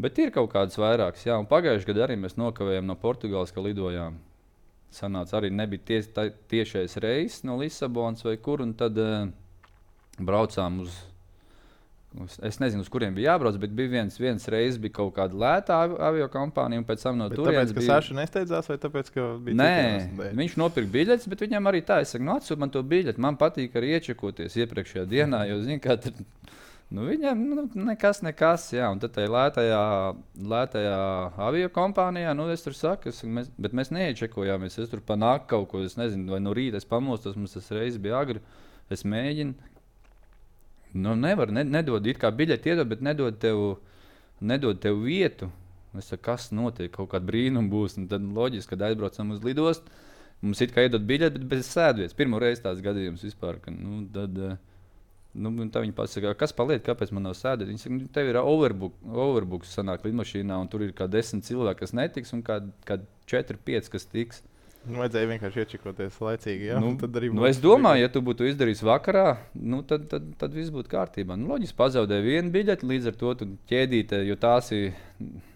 Speaker 1: Bet ir kaut kādas vairākas, jā, un pagājuši gadu arī mēs nokavējām no Portugāles, ka lidojām. Sanāca arī nebija ties, tā, tiešais reiss no Lisabonas vai kur, un tad uh, braucām uz, Es nezinu, uz kuriem bija jābrauc, bet bija viens, viens reizes bija kaut kāda lētā avio kompānija, un pēc tam no
Speaker 2: Bet
Speaker 1: turienes
Speaker 2: tāpēc, ka
Speaker 1: bija...
Speaker 2: Saša nesteidzās, vai tāpēc, ka bija
Speaker 1: Nē,
Speaker 2: citi iemesli dēļ?
Speaker 1: viņš nopirka biļetes, bet viņam arī tā, es saku, nu atsūt man to biļeti, man patīk arī iečekoties iepriekšējā dienā, jo, zini, kā tur, nu viņam nu, nekas, nekas, jā, un tad tajā lētajā, lētajā avio kompānijā, nu es tur saku, es, mēs, bet mēs neiečekojāmies, es tur panāk kaut ko, es nezinu, vai no rīta es pamostos, mums tas reizes bija agri, es mēģinu. Nu, nevar, ne, nedod it kā biļeti iedod, bet nedod tev, nedod tev vietu. Es saku, kas notiek, kaut kāda brīnuma būs. Un tad loģiski, kad aizbraucam uz lidostu, mums it kā iedod biļeti, bet bez sēdvietas. Pirmo reizi tāds gadījums vispār. Ka, nu, tad, nu, tā viņi pasaka, kas paliek, kāpēc man nav sēdvietas? Viņi saka, tev ir overbook, overbooks sanāk lidmašīnā, un tur ir kā desmit cilvēki, kas netiks, un kā, kā četri, pieci, kas tiks.
Speaker 2: Nu, vajadzēja vienkārši iečekoties laicīgi. Jā?
Speaker 1: Nu,
Speaker 2: tad arī
Speaker 1: nu, es domāju, ja tu būtu izdarījis vakarā, nu, tad, tad, tad viss būtu kārtībā. Nu, loģiski pazaudēji vienu biļeti, līdz ar to tu ķēdīte, jo tās ir,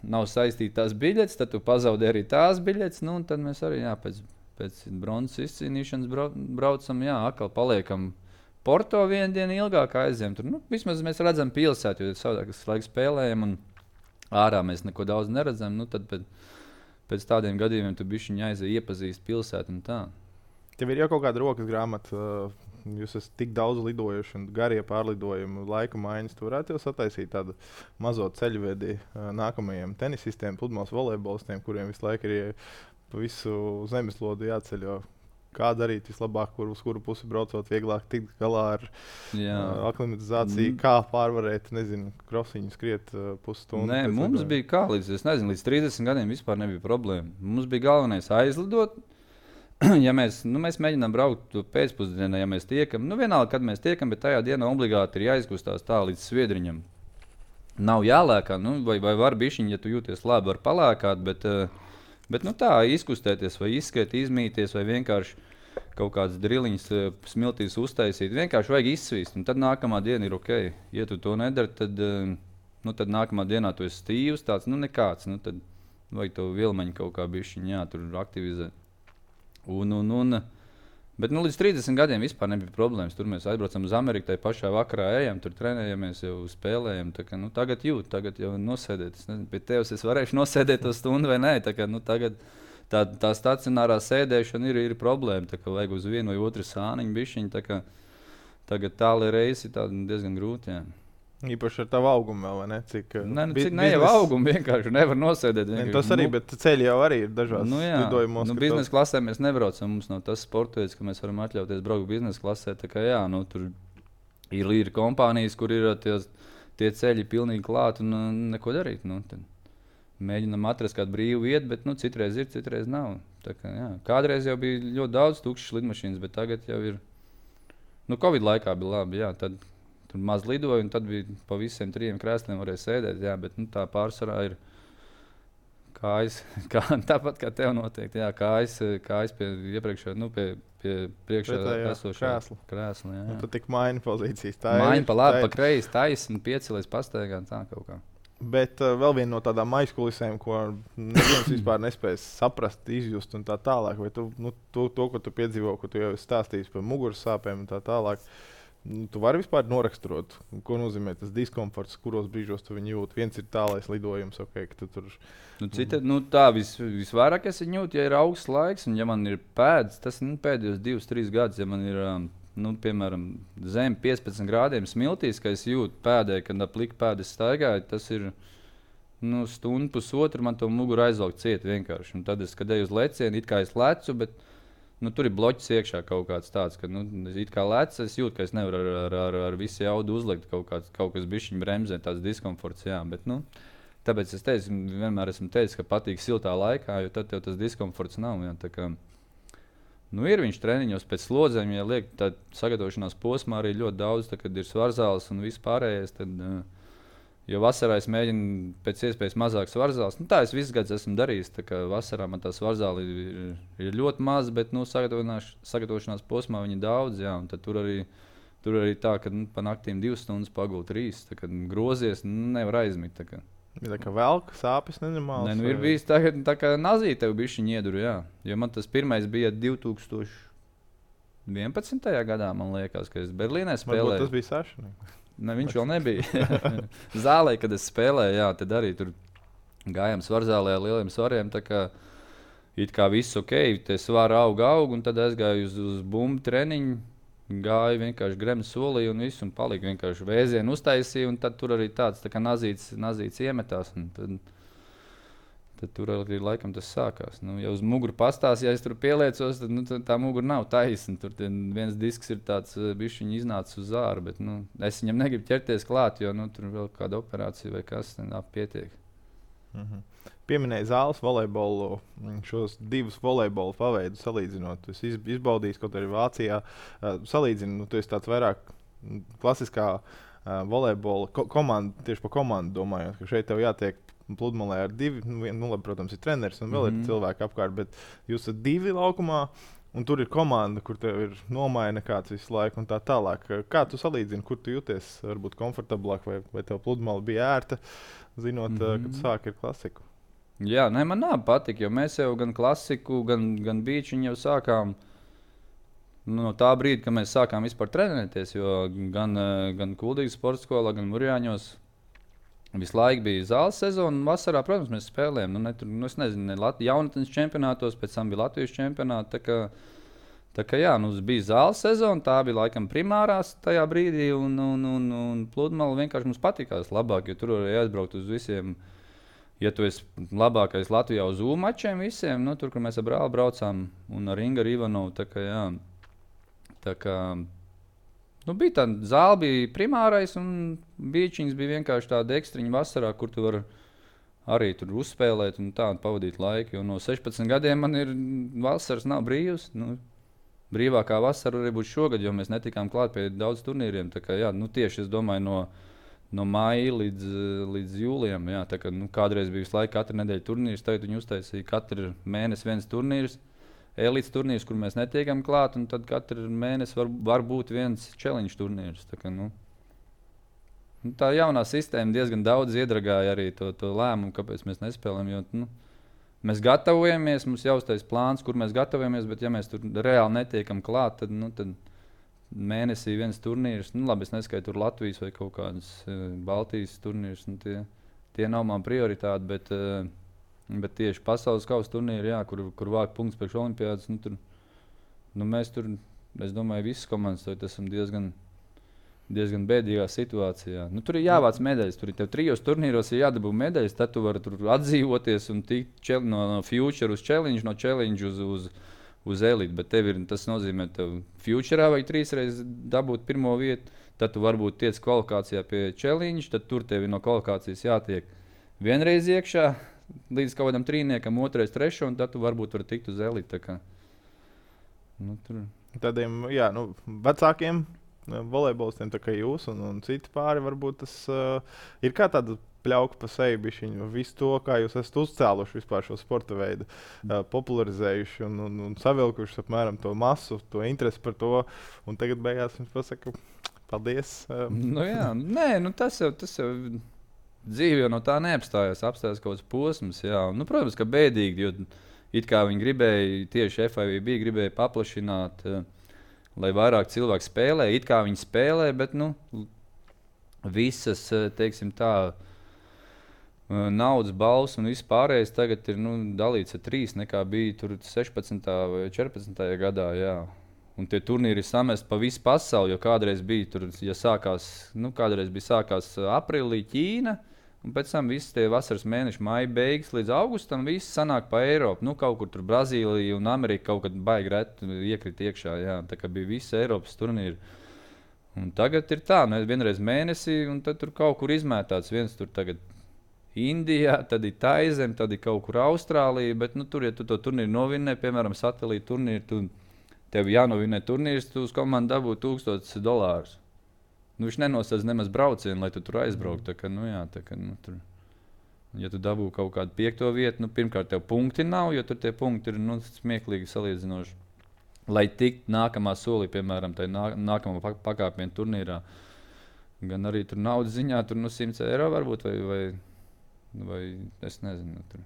Speaker 1: nav saistītas biļetes, tad tu pazaudēji arī tās biļetes. Nu, tad mēs arī jā, pēc, pēc bronzas izcīnīšanas brau, braucam, jā, atkal paliekam Porto vienu dienu ilgāk aizējam. Tur, nu, vismaz mēs redzam pilsētu, jo savādāk es laiku spēlējam un ārā mēs neko daudz neredzam. Nu, tad pēc, Pēc tādiem gadījumiem tu bišķiņ aizies iepazīst pilsētu un tā.
Speaker 2: Tev ir jau kaut kāda rokas grāmata, jūs esat tik daudz lidojuši un garie pārlidojumi, laika maiņas. Tu varētu jau sataisīt tādu mazo ceļvedi nākamajiem tenisistiem, pludmales volejbolistiem, kuriem visu laiku ir pa visu zemeslodi jāceļo. Kā darīt vislabāk, kur, uz kuru pusi braucot, vieglāk tikt galā ar uh, aklimatizāciju, mm. kā pārvarēt, nezinu, krosiņu skriet uh, pusstundu.
Speaker 1: Nē, mums lidojuma. Bija kā līdz, es nezinu, līdz trīsdesmit gadiem vispār nebija problēma. Mums bija galvenais aizlidot. Ja mēs, nu, mēs mēģinām braukt pēcpusdienā, ja mēs tiekam, nu vienalga, kad mēs tiekam, bet tajā dienā obligāti ir jāizkustās tā līdz Sviedriņam. Nav jālēkā, nu, vai, vai var bišķiņ, ja tu jūties labi, var palēkāt, bet... Uh, Bet nu, tā izkustēties, vai izskriet, izmīties, vai vienkārši kaut kādas driliņas smiltīs uztaisīt. Vienkārši vajag izsvīst, un tad nākamā diena ir ok. Ja tu to nedari, tad, nu, tad nākamā dienā tu esi stīvs, tāds nu, nekāds. Nu, tad vajag to vilmeņu kaut kā bišķiņ, jā, tur aktivizēt. Un, un, un, bet nu, līdz trīsdesmit gadiem vispār nebija problēmas. Tur mēs aizbraucam uz Ameriku, tai pašā vakarā ejam, tur trenējamies, jau spēlējam. Kā, nu, tagad jūt, tagad jau nosēdēt. Es nezinu, pie tevis es varēšu nosēdēt to stundu vai nē. Tā, kā, nu, tagad tā, tā stacionārā sēdēšana ir, ir problēma. Tā kā vajag uz vienu vai otru sāniņu bišķiņu. Tā kā, tagad tāli reisi ir diezgan grūti. Jā.
Speaker 2: Īpaši ar tavu augumu vēl, vai ne? Cik,
Speaker 1: ne, nu, cik ne jau augumu vienkārši nevar nosēdēt.
Speaker 2: Ne, tas arī, nu, bet ceļi jau arī ir dažās
Speaker 1: nu, jā,
Speaker 2: lidojumos.
Speaker 1: Nu, biznesa klasē mēs nebraucam, mums nav tas sportveids, ka mēs varam atļauties braukt biznesa klasē. Tā kā jā, nu, tur ir, ir kompānijas, kur ir tie, tie ceļi pilnīgi klāt un uh, neko darīt. Nu, mēģinam atrast kādu brīvu vietu, bet nu, citreiz ir, citreiz nav. Tā kā, jā. Kādreiz jau bija ļoti daudz tukšas lidmašīnas, bet tagad jau ir, nu, Covid laikā bija labi, jā, tad tur maz lidoja, un tad bija pa visiem trijiem krēsliem varēja sēdēt, jā, bet nu, tā pārsvarā ir kājas, kā, tāpat kā tev noteikti, jā, kājas, kājas pie iepriekšā, nu, pie, pie priekšā esošā
Speaker 2: krēsla.
Speaker 1: krēsla, jā.
Speaker 2: Un tad tik maina pozīcijas. Tā
Speaker 1: maina
Speaker 2: ir,
Speaker 1: pa labi,
Speaker 2: tā
Speaker 1: pa kreisi, taisni, piecelies pastaigā, tā kaut kā.
Speaker 2: Bet uh, vēl viena no tādām aizkulisēm, ko neviens vispār nespēs saprast, izjust un tā tālāk, vai tu, nu, to, to, ko tu piedzīvo, ko tu jau stāstīsi par muguras sāpēm un tā tālāk, nu, tu vari vispār noraksturot, ko nozīmē tas diskomforts, kuros brīžos tu viņu jūti. Viens ir tālais lidojums, ok, ka tu tur...
Speaker 1: Nu, cita, nu, tā vis, visvairāk es viņu jūtu, ja ir augsts laiks, un ja man ir pēdas, tas nu, pēdējos divus, trīs gadus, ja man ir, nu, piemēram, zem piecpadsmit grādiem smiltīs, ka es jūtu pēdē, kad ap liku pēdas staigāju, tas ir, nu, stundu pusotru, man to muguru aizvelk ciet vienkārši. Un tad es, kad eju uz lecienu, it kā es lecu, bet nu, tur ir bloķis iekšā kaut kāds tāds, ka, nu, it kā lec, es jūtu, ka es nevaru ar, ar, ar, ar visu jaudu uzlikt kaut, kāds, kaut kas bišķiņ bremzē, tāds diskomforts, jā, bet, nu, tāpēc es teicu, vienmēr esmu teicis, ka patīk siltā laikā, jo tad tev tas diskomforts nav, jā, tā kā, nu, ir viņš treniņos pēc slodzēm, ja liek tā sagatavošanās posmā arī ļoti daudz, tā, kad ir svarzāls un viss pārējais, tad, jo vasarā es mēģinu pēc iespējas mazāk svarzāls. Nu, tā es visu gadu esmu darījis. Tā kā vasarā man tā svarzāli ir, ir ļoti maz, bet nu, sagatavošanās posmā viņi daudz. Jā, un tad tur arī, tur arī tā, ka nu, pa naktīm divas stundas pagūt trīs. Tā kā grozies, nu, nevar aizmigt. Tā kā,
Speaker 2: ja tā kā velk, sāpes nenormāls.
Speaker 1: Ne, nu, ir bijis tā, tā kā nazī tev bišķiņ ieduru, jā. Jo man tas pirmais bija divi tūkstoši vienpadsmitajā gadā, man liekas, ka es Berlīnē spēlēju.
Speaker 2: Varbūt tas bija Saša.
Speaker 1: Ne, viņš vēl nebija. Zālē, kad es spēlēju, jā, tad arī tur gājām svarzālē ar lieliem svariem. Tā kā it kā viss ok, tie svari aug, aug, un tad aizgāju uz, uz bumbu treniņu. Gāju vienkārši gremes solī un viss, un palika vienkārši vēzienu uztaisīja, un tad tur arī tāds tā kā nazīts, nazīts iemetās. Tad, tad tur arī laikam tas sākās. Nu, ja uz muguru pastās, ja es tur pieliecos, tad nu, tā mugura nav taisna. Tur viens disks ir tāds bišķiņi iznācis uz āru, bet nu, es viņam negribu ķerties klāt, jo nu, tur vēl kāda operācija vai kas, tad pietiek.
Speaker 2: Mhm. Pieminēja zāles volejbolu, šos divus volejbola paveidus salīdzinot. Es izbaudīju kaut arī Vācijā. Uh, salīdzinu, nu, tu esi tāds vairāk klasiskā uh, volejbola ko komanda, tieši par komandu domājot, ka šeit tev jātiek pludmalē ar divi, nu, nu labi, protams, ir treneris un vēl mm -hmm. ir cilvēki apkārt, bet jūs esat divi laukumā, un tur ir komanda, kur tev ir nomaina kāds visu laiku un tā tālāk. Kā tu salīdzini, kur tu jūties varbūt komfortablāk, vai, vai tev pludmale bija ērta, zinot, mm -hmm. kad sāk ir klasiku?
Speaker 1: Jā, ne, man nav patīk, jo mēs jau gan klasiku, gan, gan bīčiņu jau sākām nu, no tā brīdi, kad mēs sākām vispār trenēties, jo gan, gan Kuldīgas sporta skolā, gan Murjāņos visu laiku bija zāles sezona, un vasarā, protams, mēs spēlējām. Nu, ne, tur, nu, es nezinu, ne Lat- jaunatnes čempionātos, pēc tam bija Latvijas čempionāti. Tā kā, tā kā jā, nu, bija zāles sezona, tā bija laikam primārās tajā brīdī, un, un, un, un pludmale vienkārši mums patikās labāk, jo tur varēja aizbraukt uz visiem. Ja tu esi labākais Latvijā uz U mačiem visiem, nu, tur, kur mēs ar brāli braucām, un ar Ingu Ivanovu, tā kā jā, tā kā, nu, bija tā, zāle bija primārais, un bīčiņas bija vienkārši tāda ekstriņa vasarā, kur tu vari arī tur uzspēlēt un tā un pavadīt laiku, jo no sešpadsmit gadiem man ir vasaras nav brīvs, nu, brīvākā vasara arī būs šogad, jo mēs netikām klāt pie daudz turnīriem, tā kā jā, nu, tieši es domāju no no maija līdz, līdz jūlijam. Jā, tā kā, nu, kādreiz bija visu laiku katru nedēļu turnīrs, tagad viņi uztaisīja katru mēnesi viens turnīrs, elites turnīrs, kur mēs netiekam klāt, un tad katru mēnesi var, var būt viens challenge turnīrs. Tā, kā, nu, nu, tā jaunā sistēma diezgan daudz iedragāja arī to, to lēmumu, kāpēc mēs nespēlējam, jo nu, mēs gatavojamies, mums jau uztais plāns, kur mēs gatavojamies, bet ja mēs tur reāli netiekam klāt, tad, nu, tad mēnesī viens turnīrs, nu labi, es neskaitu tur Latvijas vai kaut kādas uh, Baltijas turnīrs, nu tie, tie nav man prioritāti, bet, uh, bet tieši pasaules kausa turnīri, jā, kur, kur vāk punkts priekš olimpiādas, nu tur, nu mēs tur, es domāju, visas komandas tagad esam diezgan, diezgan bēdīgā situācijā. Nu tur ir jāvāc medaļas, tur ir tev trijos turnīros ir jādabū medaļas, tad tu vari tur atdzīvoties un tikt no, no future uz challenge, no challenge uz, uz uz elitu, bet tev ir, tas nozīmē, ka tev futurā vajag trīs reizes dabūt pirmo vietu, tad tu varbūt tiec kvalifikācijā pie challenge, tad tur tev ir no kvalifikācijas jātiek vienreiz iekšā līdz kaut kādam trīniekam, otrais, trešo, un tad tu varbūt vari tikt uz elitu. Nu, tur.
Speaker 2: Tādiem, jā, nu, vecākiem volejbolistiem, tā kā jūs un, un citi pāri, varbūt tas uh, ir kā tāda pļauka pa seju bišķiņu, visu to, kā jūs esat uzcēluši vispār šo sporta veidu, uh, popularizējuši un, un, un savilkuši apmēram to masu, to interesi par to, un tagad beigās jums pasaka, paldies. Uh.
Speaker 1: Nu jā, nē, nu tas jau, tas jau dzīve jau no tā neapstājās, apstājās kaut kāds posms, jā. Nu, protams, ka bēdīgi, jo it kā viņi gribēja, tieši F I V B gribēja paplašināt, uh, lai vairāk cilvēku spēlē, it kā viņi spēlē, bet, nu, visas, teiksim tā, naudas balvas un viss pārējais tagad ir nu, dalīts ar trīs, nekā bija tur sešpadsmitajā vai četrpadsmitajā gadā. Jā. Un tie turnīri ir samesti pa visu pasauli, jo kādreiz bija tur, ja sākās, nu, kādreiz bija sākās aprīlī Ķīna, un pēc tam viss tie vasaras mēneši, maija beigas līdz augustam, viss sanāk pa Eiropu. Nu, kaut kur tur Brazīlija un Amerika kaut kad baigi reti iekrit iekšā, jā. Tā kā bija visi Eiropas turnīri. Un tagad ir tā, nu, vienreiz mēnesī, un tad tur kaut kur izmētāts viens tur tagad Indijā, tad ir Taizem, tad ir kaut kur Austrālija, bet nu, tur, ja tu to turnīru novinē, piemēram, satelīta turnīru, tu, tev jānovinē turnīrs, tu uz komandu dabū tūkstotis dolārus. Nu, viņš nenosaka nemaz braucienu, lai tu tur aizbrauktu. Tā kā, nu, jā, tā kā, nu, tur, ja tu dabū kaut kādu piekto vietu, nu, pirmkārt, tev punkti nav, jo tur tie punkti ir nu, smieklīgi salīdzinoši. Lai tiktu nākamā solī, piemēram, tai nā, nākamā pakāpienu turnīrā, gan arī tur naudas ziņā, tur nu simts eiro varbūt, vai, vai vai es nezinu. Tur.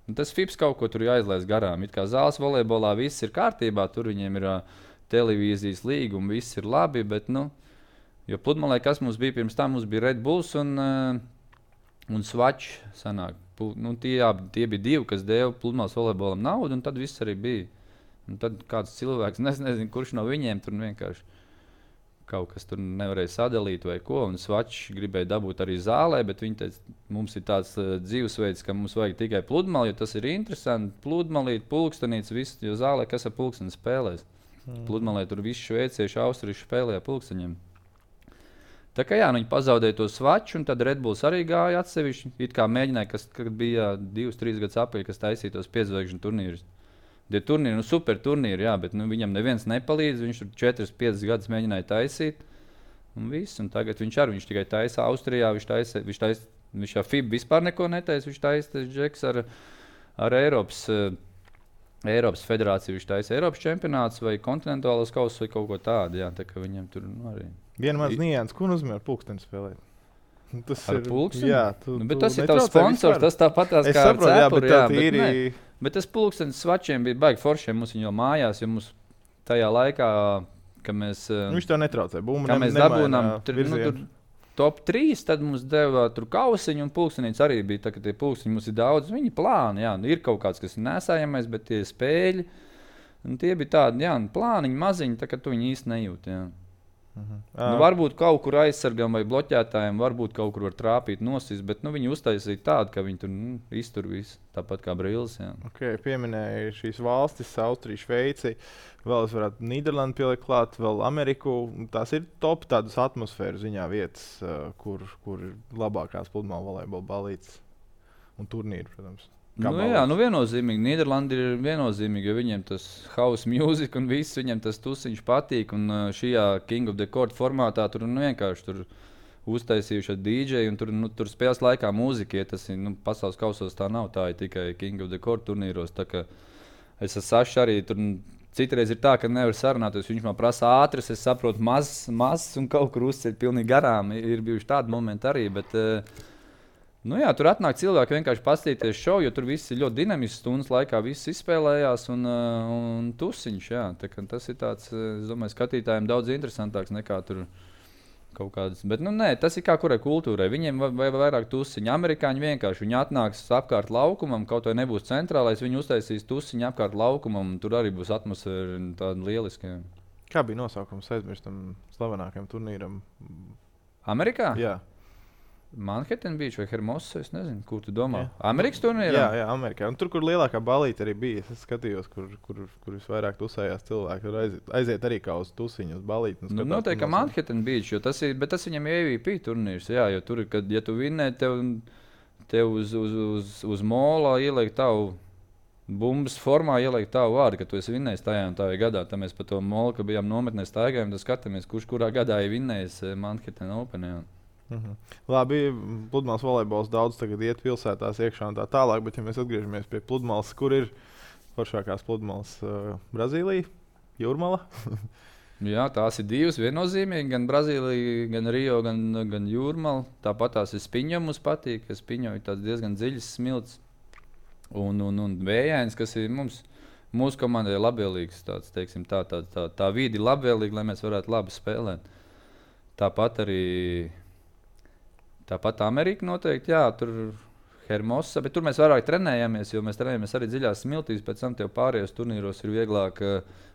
Speaker 1: Un tas F I B S kaut ko tur jāizlaist garām. It kā zāles volejbolā viss ir kārtībā, tur viņiem ir uh, televīzijas līgumi, viss ir labi, bet nu, Jo pludmalē, kas mums bija pirms tam, mums bija Red Bulls un, uh, un Swatch. Sanāk. Nu, tie, jā, tie bija divi, kas deva pludmales volejbolam naudu, un tad viss arī bija. Un tad kāds cilvēks, es nezinu, kurš no viņiem tur vienkārši kaut kas tur nevarēja sadalīt vai ko. Un Swatch gribēja dabūt arī zālē, bet viņi teica, mums ir tāds uh, dzīvesveids, ka mums vajag tikai pludmali, jo tas ir interesanti. Pludmalīt, pulkstenīts, viss, jo zālē kas ar pulksteni spēlēs. Mm. Pludmalē tur visi šveicieši, austrieši spēlēja pulksteņiem. Tā kā jā, nu viņi pazaudēja to Swatch, un tad Red Bulls arī gāja atsevišķi. It kā mēģināja, kas bija divus, trīs gadus apēļ, kas taisīja tos piedzvaigžņu turnīrus. Tie turnīri, nu super turnīri, jā, bet nu, viņam neviens nepalīdz. Viņš tur četras, piecas gadus mēģināja taisīt. Un viss, un tagad viņš arī, viņš tikai taisa Austrijā, viņš taisa, viņš taisa, viņš jau F I B A vispār neko netaisa, viņš taisa tas džeks ar, ar Eiropas, uh, Eiropas federāciju, viņš taisa Eiropas čempionāts vai kontinentālos kausus vai kaut ko tādu, jā, tā kā viņam tur nu, arī.
Speaker 2: Viena maz nianses, ko nozīmē ar pulksteni spēlēt? Tas
Speaker 1: ar
Speaker 2: ir
Speaker 1: pulksteni?
Speaker 2: Jā, tu,
Speaker 1: nu, bet
Speaker 2: tu
Speaker 1: tas ir tavs sponsors, tas tāpat tās kā
Speaker 2: saprotu,
Speaker 1: ar
Speaker 2: cepuri,
Speaker 1: jā,
Speaker 2: jā,
Speaker 1: bet,
Speaker 2: bet,
Speaker 1: tīri... bet tas pulkstenis Swatchiem bija baigi foršiem mums jau mājās, jo mums tajā laikā, ka mēs...
Speaker 2: Nu, viņš tev netraucē, bumba
Speaker 1: kā
Speaker 2: ne,
Speaker 1: mēs dabūnām tur, nu, tur top trīs, tad mums deva tur kausiņu un pulkstenīts arī bija, tā ka tie pulksteņi mums ir daudz, viņi plāni, jā, nu, ir kaut kāds, kas ir nesājamais, bet tie spēļi, un tie bija tādi, jā, plāniņi maziņi, tā ka tu viņi īsti nejūt, jā. Uh-huh. Nu, varbūt kaut kur aizsargam vai bloķētājiem, varbūt kaut kur var trāpīt nosist, bet nu, viņi uztaisīja tādu, ka viņi tur nu, iztur visu, tāpat kā Brilles.
Speaker 2: Okay, pieminēja šīs valstis, Austrija, Šveici, vēl es varētu Nīderlandi pielikt klāt, vēl Ameriku. Tās ir top tādas atmosfēras ziņā vietas, kur, kur ir labākās pludmales volejbola balītes un turnīri, protams.
Speaker 1: Nu, jā, nu viennozīmīgi. Nīderlandi ir viennozīmīgi, jo viņiem tas house music un viss, viņiem tas tusiņš patīk. Un šajā King of the Court formātā tur nu, vienkārši tur uztaisījuši ar D J un tur, nu, tur spēles laikā mūzika, ja tas ir, nu, pasaules kausos tā nav, tā ir tikai King of the Court turnīros. Tā kā es ar Sašu arī tur citreiz ir tā, ka nevar sarunāties, viņš man prasa ātras, es saprotu mazs, mazs un kaut kur uzceļ pilnīgi garām. Ir bijuši tādi momenti arī, bet... Nu jā, tur atnāk cilvēki vienkārši paskatīties šovu, jo tur viss ir ļoti dinamisks. Stundas laikā viss izspēlējās un, un tusiņš. Jā. Tā, tas ir tāds, es domāju, skatītājiem daudz interesantāks nekā tur kaut kādas. Bet nu, nē, tas ir kā kurai kultūrai. Viņiem vai vairāk tusiņi. Amerikāņi vienkārši viņi atnāks apkārt laukumam, kaut vai nebūs centrālais, viņi uztaisīs tusiņu apkārt laukumam, un tur arī būs atmosfēra tāda lieliska. Jā.
Speaker 2: Kā bija nosaukums aizmirstam slavenākajam turnīram?
Speaker 1: Amerikā?
Speaker 2: Jā.
Speaker 1: Manhattan Beach vai Hermosa, es nezinu, kur tu domā.
Speaker 2: Jā.
Speaker 1: Amerikas turnīrā?
Speaker 2: Jā, jā, Amerikā. Un tur, kur lielākā balīte arī bija, es skatījos, kur, kur, kur visvairāk tusējās cilvēki. Tur aiziet, aiziet arī kā uz tusiņu, uz balīti.
Speaker 1: Nu, noteikti, ka Manhattan Beach, jo tas ir, bet tas viņam ir M V P turnīrs, jā, jo tur, kad, ja tu vinnē, tev, tev uz, uz, uz, uz molā ieliek tavu bumbas formā, ieliek tavu vārdu, ka tu esi vinnējis tajā un tajā gadā. Tā mēs pa to molu, ka bijām nometnē staigājumi, tad skatāmies, kurš kurā gadā ir vinnējis Manhattan Open, jā.
Speaker 2: Mhm. Labi, pludmales volejbols daudz tagad iet pilsētās iekšā un tā tālāk, bet ja mēs atgriežamies pie pludmales, kur ir foršākās pludmales uh, Brazīlija, Jūrmala?
Speaker 1: Jā, tās ir divas viennozīmīgi, gan Brazīlija, gan Rio, gan, gan Jūrmala. Tāpat tās ir Spiņo mums patīk, ka Spiņo ir tāds diezgan dziļs smilts un, un, un vējains, kas ir mums, mūsu komandai labvēlīgs, tāds, teiksim, tā, tā, tā, tā vidi ir labvēlīga, lai mēs varētu labi spēlēt. Tāpat arī Tāpat Amerika noteikti, jā, tur Hermosa, bet tur mēs vairāk trenējamies, jo mēs trenējamies arī dziļās smiltīs, pēc tam tev pārējos turnīros ir vieglāk,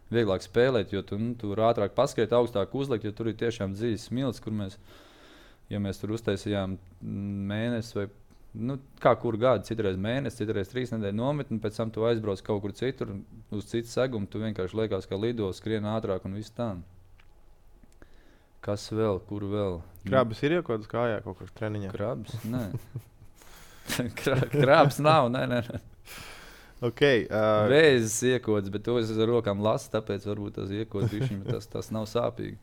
Speaker 1: vieglāk spēlēt, jo tu, nu, tur ātrāk paskriet, augstāk uzlikt, jo tur ir tiešām dziļas smilts, kur mēs, ja mēs tur uztaisījām mēnesi vai, nu, kā kur gadu, citreiz mēnesi, citreiz trīs nedēļu nometni, pēc tam tu aizbrauc kaut kur citur, uz citu segumu, tu vienkārši liekas, kā lido, skrien ātrāk un viss tā. Kas vēl, kur vēl?
Speaker 2: Krabas ir jau kaut kādā kājā, kaut kādā treniņā?
Speaker 1: Krabas? Nē. Krabas nav, nē, nē.
Speaker 2: Okay, uh...
Speaker 1: Vēzis iekods, bet to es ar rokām lasu, tāpēc varbūt tas iekods bišķiņ, bet tas, tas nav sāpīgi.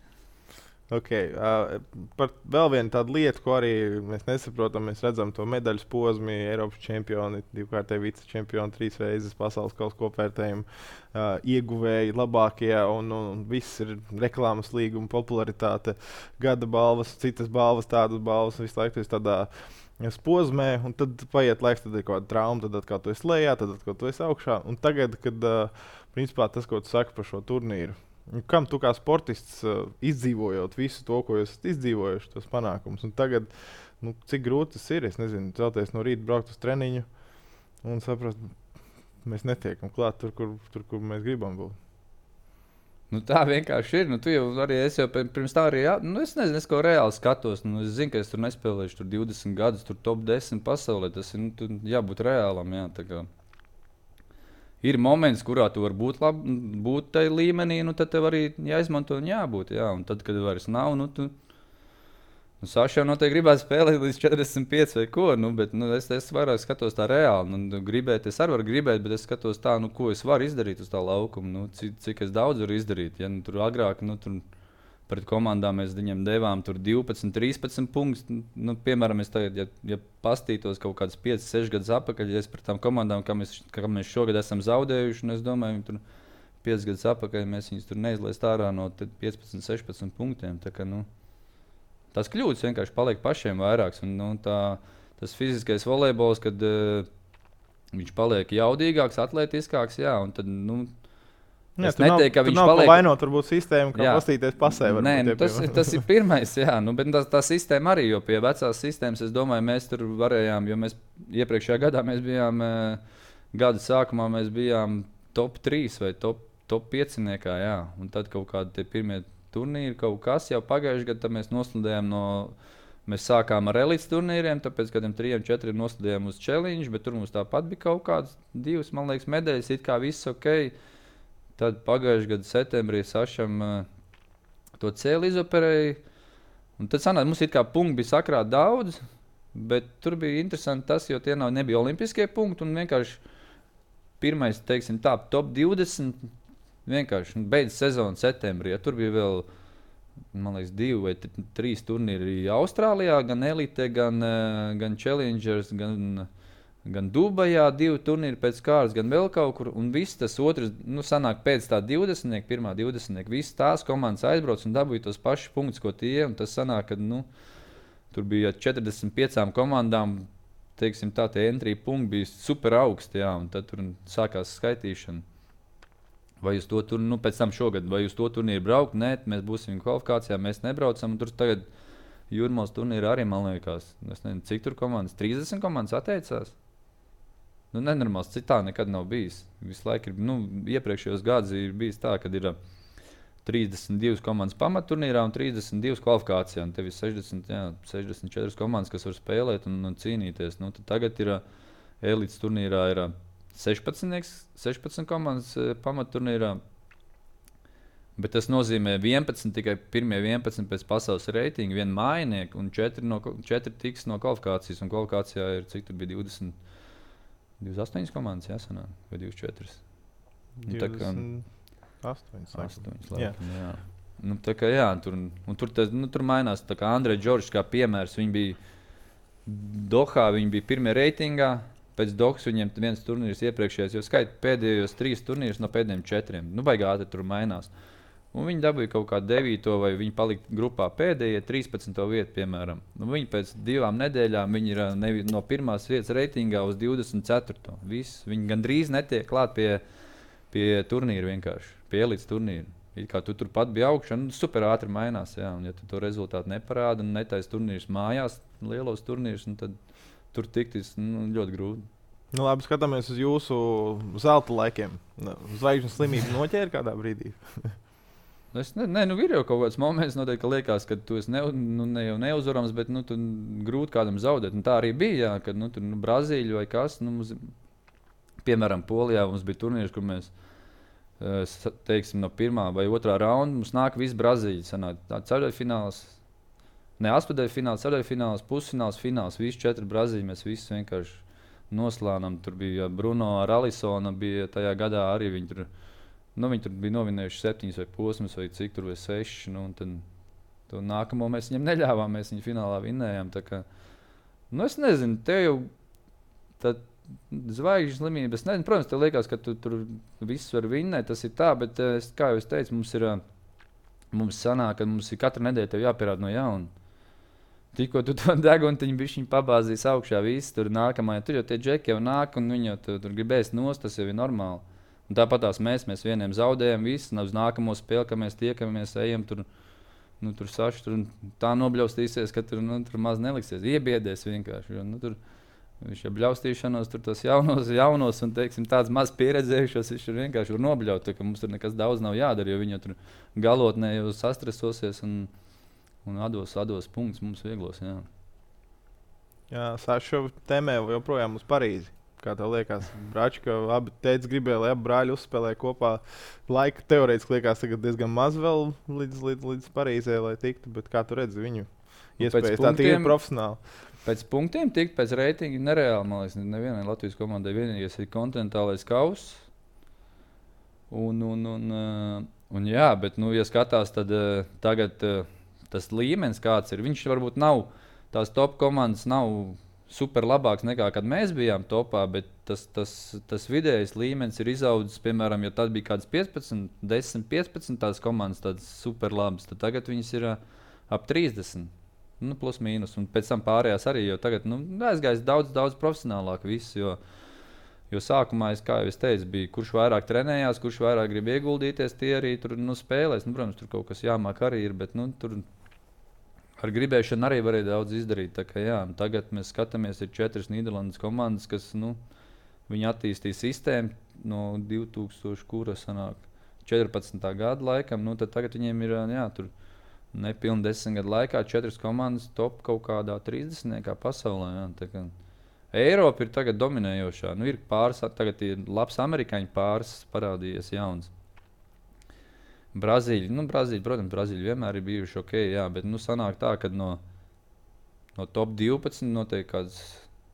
Speaker 2: Okay, uh, par vēl vienu tādu lietu, ko arī mēs nesaprotam, mēs redzam to medaļas posmu, Eiropas čempioni, divkārtēji vicečempioni, trīs reizes pasaules kausa kopvērtējumu uh, ieguvēji, labākie, un, un, un viss ir reklāmas līguma, popularitāte, gada balvas, citas balvas, tādas balvas, visu laiku tas tādā posmē, un tad paiet laiks, tad ir kaut kāda trauma, tad atkal tu esi lejā, tad atkal tu esi augšā, un tagad, kad uh, principā tas, ko tu saki par šo turnīru, Kam tu kā sportists uh, izdzīvojot visu to, ko jūs esat izdzīvojuši, tos panākumus? Un tagad, nu, cik grūti tas ir? Es nezinu, celties no rīta, braukt uz treniņu un saprast, mēs netiekam klāt tur, kur, tur, kur mēs gribam būt.
Speaker 1: Nu, tā vienkārši ir. Nu, tu jau arī es jau pirms tā arī, jā, nu, es nezinu, es ko reāli skatos. Nu, es zinu, ka es tur nespēlēšu tur divdesmit gadus, tur top desmit pasaulē. Tas ir, nu, jābūt reālam, jā. Tā kā ir moments, kurā tu vari būt labi, būt tajā līmenī, nu, tad tev arī jāizmanto un jābūt, jā. Un tad, kad vairs nav, nu, tu... Nu, Saša jau noteikti gribētu spēlēt līdz četrdesmit pieci vai ko, nu, bet nu, es, es vairāk skatos tā reāli. Nu, gribēt, es arī varu gribēt, bet es skatos tā, nu, ko es varu izdarīt uz tā laukuma, nu, cik, cik es daudz varu izdarīt. Ja, nu, tur agrāk, nu, tur pret komandām mēs viņiem devām tur divpadsmit, trīspadsmit punktus. Nu, piemēram, es tagad, ja, ja pastītos kaut kādas pieci, seši gadus atpakaļ, ja es pret tām komandām, kā mēs, kā mēs šogad esam zaudējuši, un es domāju, tur pieci gadus atpakaļ mēs viņus tur neizlaist ārā no piecpadsmit, sešpadsmit punktiem. Tā kā, nu, tas kļūdas vienkārši paliek pašiem vairāks. Un, nu, tā, tas fiziskais volejbols, kad uh, viņš paliek jaudīgāks, atletiskāks, jā, un tad, nu,
Speaker 2: jā,
Speaker 1: es neteiktu, ka viņš
Speaker 2: nav
Speaker 1: paliek...
Speaker 2: Nav vainot, varbūt sistēma, kā pastīties pasē.
Speaker 1: Nē, nu, tas, tas ir pirmais, jā, nu, bet tā, tā sistēma arī, jo pie vecās sistēmas, es domāju, mēs tur varējām, jo mēs iepriekšējā gadā mēs bijām, uh, gada sākumā mēs bijām top trīs vai top, top pieciniekā, jā, un tad kaut kādi tie pirmie turnīri kaut kas jau pagājuši gadu, tad mēs noslidējām no, mēs sākām ar elites turnīriem, tāpēc kādiem trījiem, četriem noslidējām uz challenge, bet tur mums tāpat bija kaut kāds divas, man liekas, medaļas, it kā viss ok. Tad pagājuši gadu septembrī Sašam uh, to cēli izoperēja, un tad sanāk, mums it kā punkti bija sakrāt daudz, bet tur bija interesanti tas, jo tie nav, nebija olimpiskie punkti, un vienkārši pirmais, teiksim tā, top divdesmit, vienkārši beidz sezonu septembrī. Ja tur bija vēl, man liekas, divi vai t- trīs turnīri Austrālijā, gan elite, gan, uh, gan challengers, gan, gan Dubajā, divi turnīri pēc kārtas, gan vēl kaut kur. Un viss tas otrs, nu, sanāk pēc tā divdesmitnieka, pirmā divdesmitnieka, visas tās komandas aizbrauc un dabūja tos pašus punktus, ko tie. Un tas sanāk, ka, nu, tur bija četrdesmit piecām komandām, teiksim tā, tie entry punkti bija super augsti, jā, un tad tur sākās skaitīšana. Vai uz to turnīru, nu, pēc tam šogad, vai uz to turnīru braukt? Nē, mēs būsim kvalifikācijā, mēs nebraucam. Tur tagad Jūrmālas turnīrā arī, man liekas, es nezinu, cik tur komandas, trīsdesmit komandas atteicās. Nu, nenormāls, cik tā nekad nav bijis. Visu laiku ir, nu, iepriekšējos gadus ir bijis tā, kad ir trīsdesmit divas komandas pamatturnīrā un trīsdesmit divas kvalifikācijā. Un tev ir sešdesmit, jā, sešdesmit četras komandas, kas var spēlēt un, un cīnīties. Nu, tagad ir elites turnīrā ir sešpadsmit, sešpadsmit komandas e, pamatturnīrā, bet tas nozīmē vienpadsmit, tikai pirmie vienpadsmit pēc pasaules reitinga, viena mājinieka un četri, no, četri tiks no kvalifikācijas, un kvalifikācijā ir, cik tur bija divdesmit, divdesmit astoņas komandas, jāsanāk, vai divdesmit četras?
Speaker 2: divdesmit astoņas.
Speaker 1: astoņas, laikam, jā. Nu, tā kā jā, tur, un tur, tas, nu, tur mainās, tā kā Andrej Džordžs kā piemērs, viņi bija Dohā, viņi bija pirmie reitingā. Pēc Dohas viņiem viens turnīrs iepriekšējais, jo skaita pēdējos trīs turnīrus no pēdējiem četriem. Nu, baigā ātri tur mainās. Un viņi dabūja kaut kādu devīto, vai viņi palika grupā pēdējie trīspadsmito vietu, piemēram. Nu, viņi pēc divām nedēļām viņi ir nevi, no pirmās vietas reitingā uz divdesmit ceturto. Viss. Viņi gandrīz netiek klāt pie, pie turnīra vienkārši, pie elites turnīra. It kā tu turpat bija augšā, nu, super ātri mainās. Jā. Un ja tu to rezultātu neparāda un netais turnīrs mājās, lielos turnīrs, nu, tad tur tiktis nu, ļoti grūti.
Speaker 2: Nu, labi, skatāmies uz jūsu zelta laikiem. Zvaigžņu slimību noķēra kādā brīdī?
Speaker 1: es ne, ne, nu, ir jau kaut kāds moments, noteikti, ka liekas, ka tu esi ne, nu, ne jau neuzvarams, bet nu, tu grūti kādam zaudēt. Un tā arī bija, jā, kad nu, tur nu, Brazīļa vai kas. Nu, mums, piemēram, Polijā mums bija turnīrs, kur mēs teiksim, no pirmā vai otrā raunda mums nāk viss Brazīļa. Sanāk, ceturtdaļfināls. Ne astotdaļfināls, ceturtdaļfināls, pusfināls, fināls, visi četri Brazīļi, mēs visi vienkārši noslānām. Tur bija Bruno ar Alisona, bija tajā gadā arī viņi tur, nu, viņi tur bija novinējuši septiņas vai posmas vai cik tur vai seši, nu, un tad to nākamo mēs viņam neļāvām, mēs viņu finālā vinnējām, tā kā, nu, es nezinu, te jau tā zvaigžņu slimība, es nezinu, protams, tev liekas, ka tu tur viss var vinnēt, tas ir tā, bet, es, kā jau es teicu, mums ir, mums sanāk, ka mums ir katru nedēļu tev jāpierāda no jauna. Tikko tu to deguntiņu bišķiņu pabāzīs augšā, viss tur nākamajā, tur jau tie džeki jau nāk un viņi jau tu, tur gribēs nost, tas jau ir normāli. Un tāpat tās mēs, mēs vieniem zaudējam, visi uz nākamo spēli, ka mēs tiekamies, ejam tur, nu, tur saši, tur tā nobļaustīsies, ka tur, nu, tur maz neliksies, iebiedēs vienkārši. Jo, nu, tur, viņš ir bļaustīšanos, tur tos jaunos, jaunos un, teiksim, tāds maz pieredzējušos, viņš ir vienkārši var nobļaut, ka mums tur nekas daudz nav jādara, jo viņi tur galotnē jau sastresosies un, un atdos, atdos punktus mums vieglos, jā.
Speaker 2: Jā, Saša tēmē joprojām uz Parīzi. Kā tev liekas, Brāči, ka abi teica gribēja, lai abi brāļi uzspēlē kopā. Laika teorētiski liekas tagad diezgan maz vēl līdz, līdz, līdz Parīzē, lai tiktu, bet kā tu redzi viņu iespējas tā tīri profesionāli?
Speaker 1: Pēc punktiem tikt, pēc reitinga nereāli, man liekas, nevienai Latvijas komandai vienīgais ir kontinentālais kauss. Un, un, un, un jā, bet, nu, ja skatās, tad tagad tas līmenis kāds ir, viņš varbūt nav, tās top komandas nav super labāks nekā, kad mēs bijām topā, bet tas, tas, tas vidējais līmenis ir izaudzis, piemēram, ja tad bija kāds piecpadsmit, desmit, piecpadsmit tās komandas tādas super labas, tad tagad viņas ir ap trīsdesmit, nu, plus mīnus, un pēc tam pārējās arī, jo tagad, nu, aizgājis daudz, daudz profesionālāk viss, jo, jo sākumā, es, kā jau es teicu, bija, kurš vairāk trenējās, kurš vairāk grib ieguldīties, tie arī tur, nu, spēlēs, nu, protams, tur kaut kas jāmāk arī ir, bet, nu, tur ar gribēšanu arī varēja daudz izdarīt. Tā kā, jā, tagad mēs skatāmies, ir četras Nīderlandes komandas, kas nu, viņi attīstīja sistēmu no divi tūkstoši četrpadsmitā gada laikam. Nu, tad tagad viņiem ir jā, tur nepilni desmit gadu laikā četras komandas top kaut kādā trīsdesmitniekā pasaulē. Jā, tā kā Eiropa ir tagad dominējošā. Nu, ir pāris, tagad ir labs amerikāņu pāris parādījies jauns. Brazīļi, nu, Brazīļi, protams, Brazīļi vienmēr ir bijuši ok, jā, bet nu, sanāk tā, ka no, no top divpadsmit noteikti kāds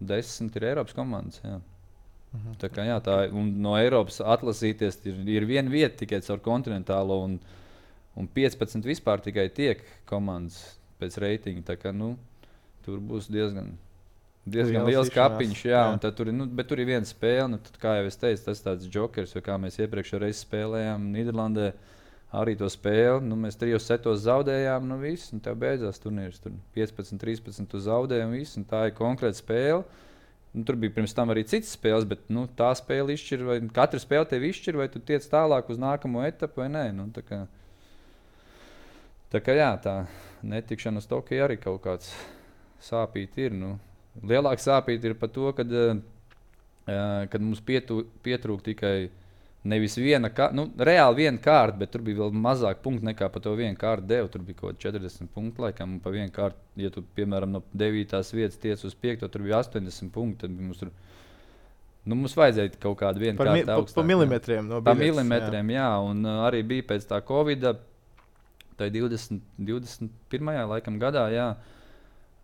Speaker 1: desmit ir Eiropas komandas. Jā. Mhm. Tā kā jā, tā, un no Eiropas atlasīties ir, ir viena vieta tikai caur kontinentālo, un, un piecpadsmit vispār tikai tiek komandas pēc reitinga. Tā kā, nu, tur būs diezgan, diezgan liels kapiņš, jā, jā. Un tad tur, nu, bet tur ir viena spēle, nu, tad, kā jau es teicu, tas tāds jokers, jo kā mēs iepriekšējā reizē spēlējām Nīderlandē, arī to spēli, nu, mēs trijos setos zaudējām, nu viss, un tev beidzās turnīrs. Tur piecpadsmit, trīspadsmit tu zaudēji un viss, un tā ir konkrēta spēle. Nu, tur bija pirms tam arī citas spēles, bet nu, tā spēle izšķir, vai katra spēle tevi izšķir, vai tu tiec tālāk uz nākamo etapu vai nē. Nu, tā kā, tā kā jā, tā netikšana uz Tokiju arī kaut kāds sāpīt ir. Nu. Lielāks sāpīt ir par to, kad, uh, kad mums pietu, pietrūk tikai nevis viena kārta, nu, reāli viena kārta, bet tur bija vēl mazāk punktu nekā par to vienu kārtu devu. Tur bija kaut kādi četrdesmit punkti, laikam, un pa vienu kārtu, ja tu, piemēram, no devītās vietas tiec uz piekto, tur bija astoņdesmit punkti, tad mums tur, nu, mums vajadzēja kaut kādu vienu
Speaker 2: par
Speaker 1: kārtu
Speaker 2: mi,
Speaker 1: augstāk.
Speaker 2: Pa milimetriem no biļetes.
Speaker 1: Pa milimetriem, jā, jā un uh, arī bija pēc tā Covida, tai divdesmit, divdesmit pirmajā laikam gadā, jā,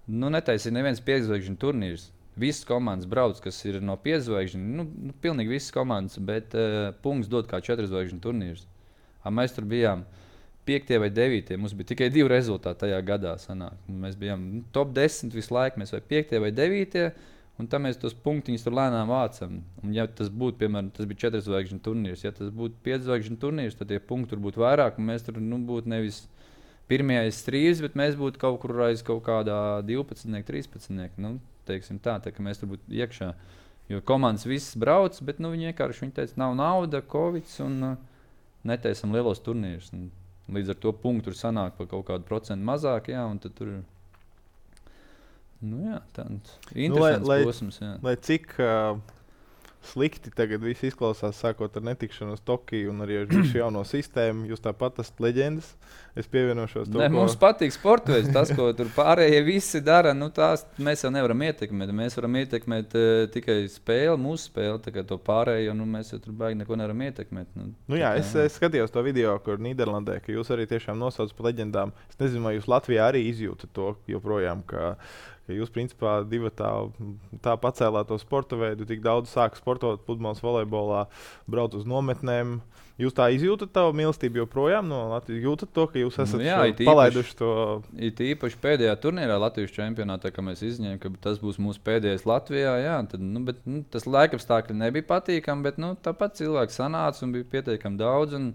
Speaker 1: nu, netaisīja neviens piedzvaigžņu turnīrs. Visas komandas brauc, kas ir no piedzvaigžņu, nu, nu, pilnīgi visas komandas, bet uh, punkts dod kā četrzvaigžņu turnīrs. A, mēs tur bijām piektie vai devītie, mums bija tikai divi rezultāti tajā gadā sanāk. Mēs bijām nu, top desmit visu laiku, mēs vai piektie vai devītie, un tā mēs tos punktiņus tur lēnām vācam. Un ja tas būtu, piemēram, tas bija četrzvaigžņu turnīrs, ja tas būtu piedzvaigžņu turnīrs, tad tie punkti tur būtu vairāk, un mēs tur nu, būtu nevis pirmie aiz trīs, bet mēs būtu kaut kur aiz kaut kādā divpadsmitnieka, trīspadsmitnieka. Nu, teiksim tā, tā, ka mēs tur būtu iekšā. Jo komandas visas brauc, bet nu, viņi vienkārši viņi teica, nav nauda, Covids un uh, netaisam lielos turnīrus. Un līdz ar to punktu tur sanāk par kaut kādu procentu mazāk, jā, un tad tur ir nu, jā, tāds interesants
Speaker 2: nu, lai,
Speaker 1: posms. Jā.
Speaker 2: Lai cik uh, slikti tagad viss izklausās, sākot ar netikšanu uz Tokiju un arī ar visu jauno sistēmu, jūs tāpat esat leģendas. Es pievienošos to,
Speaker 1: ne,
Speaker 2: ko...
Speaker 1: Mums patīk sportoties. Tas, ko tur pārējie visi dara, nu, tās mēs jau nevaram ietekmēt. Mēs varam ietekmēt uh, tikai spēli, mūsu spēli, tā kā to pārējo, nu, mēs jau tur baigi neko nevaram ietekmēt. Nu,
Speaker 2: nu jā, es, es skatījos to video, kur Nīderlandē, ka jūs arī tiešām nosaucat par leģendām. Es nezinu, vai jūs Latvijā arī izjūtat to joprojām, ka, ka jūs principā divi tā, tā pacēlāt to sporta veidu, tik daudz sāk sportot pludmales volejbolā, brauc uz nometnēm. Jūs tā izjūtat tavu mīlestību joprojām no Latvijas? Jūtat to, ka jūs esat
Speaker 1: nu jā,
Speaker 2: šo, palaiduši to?
Speaker 1: It īpaši pēdējā turnīrā Latvijas čempionātā, ka mēs izņēmām, ka tas būs mūsu pēdējais Latvijā. Jā, tad, nu, bet, nu, tas laikapstākļi nebija patīkami, bet nu, tāpat cilvēki sanāca un bija pietiekami daudz. Un,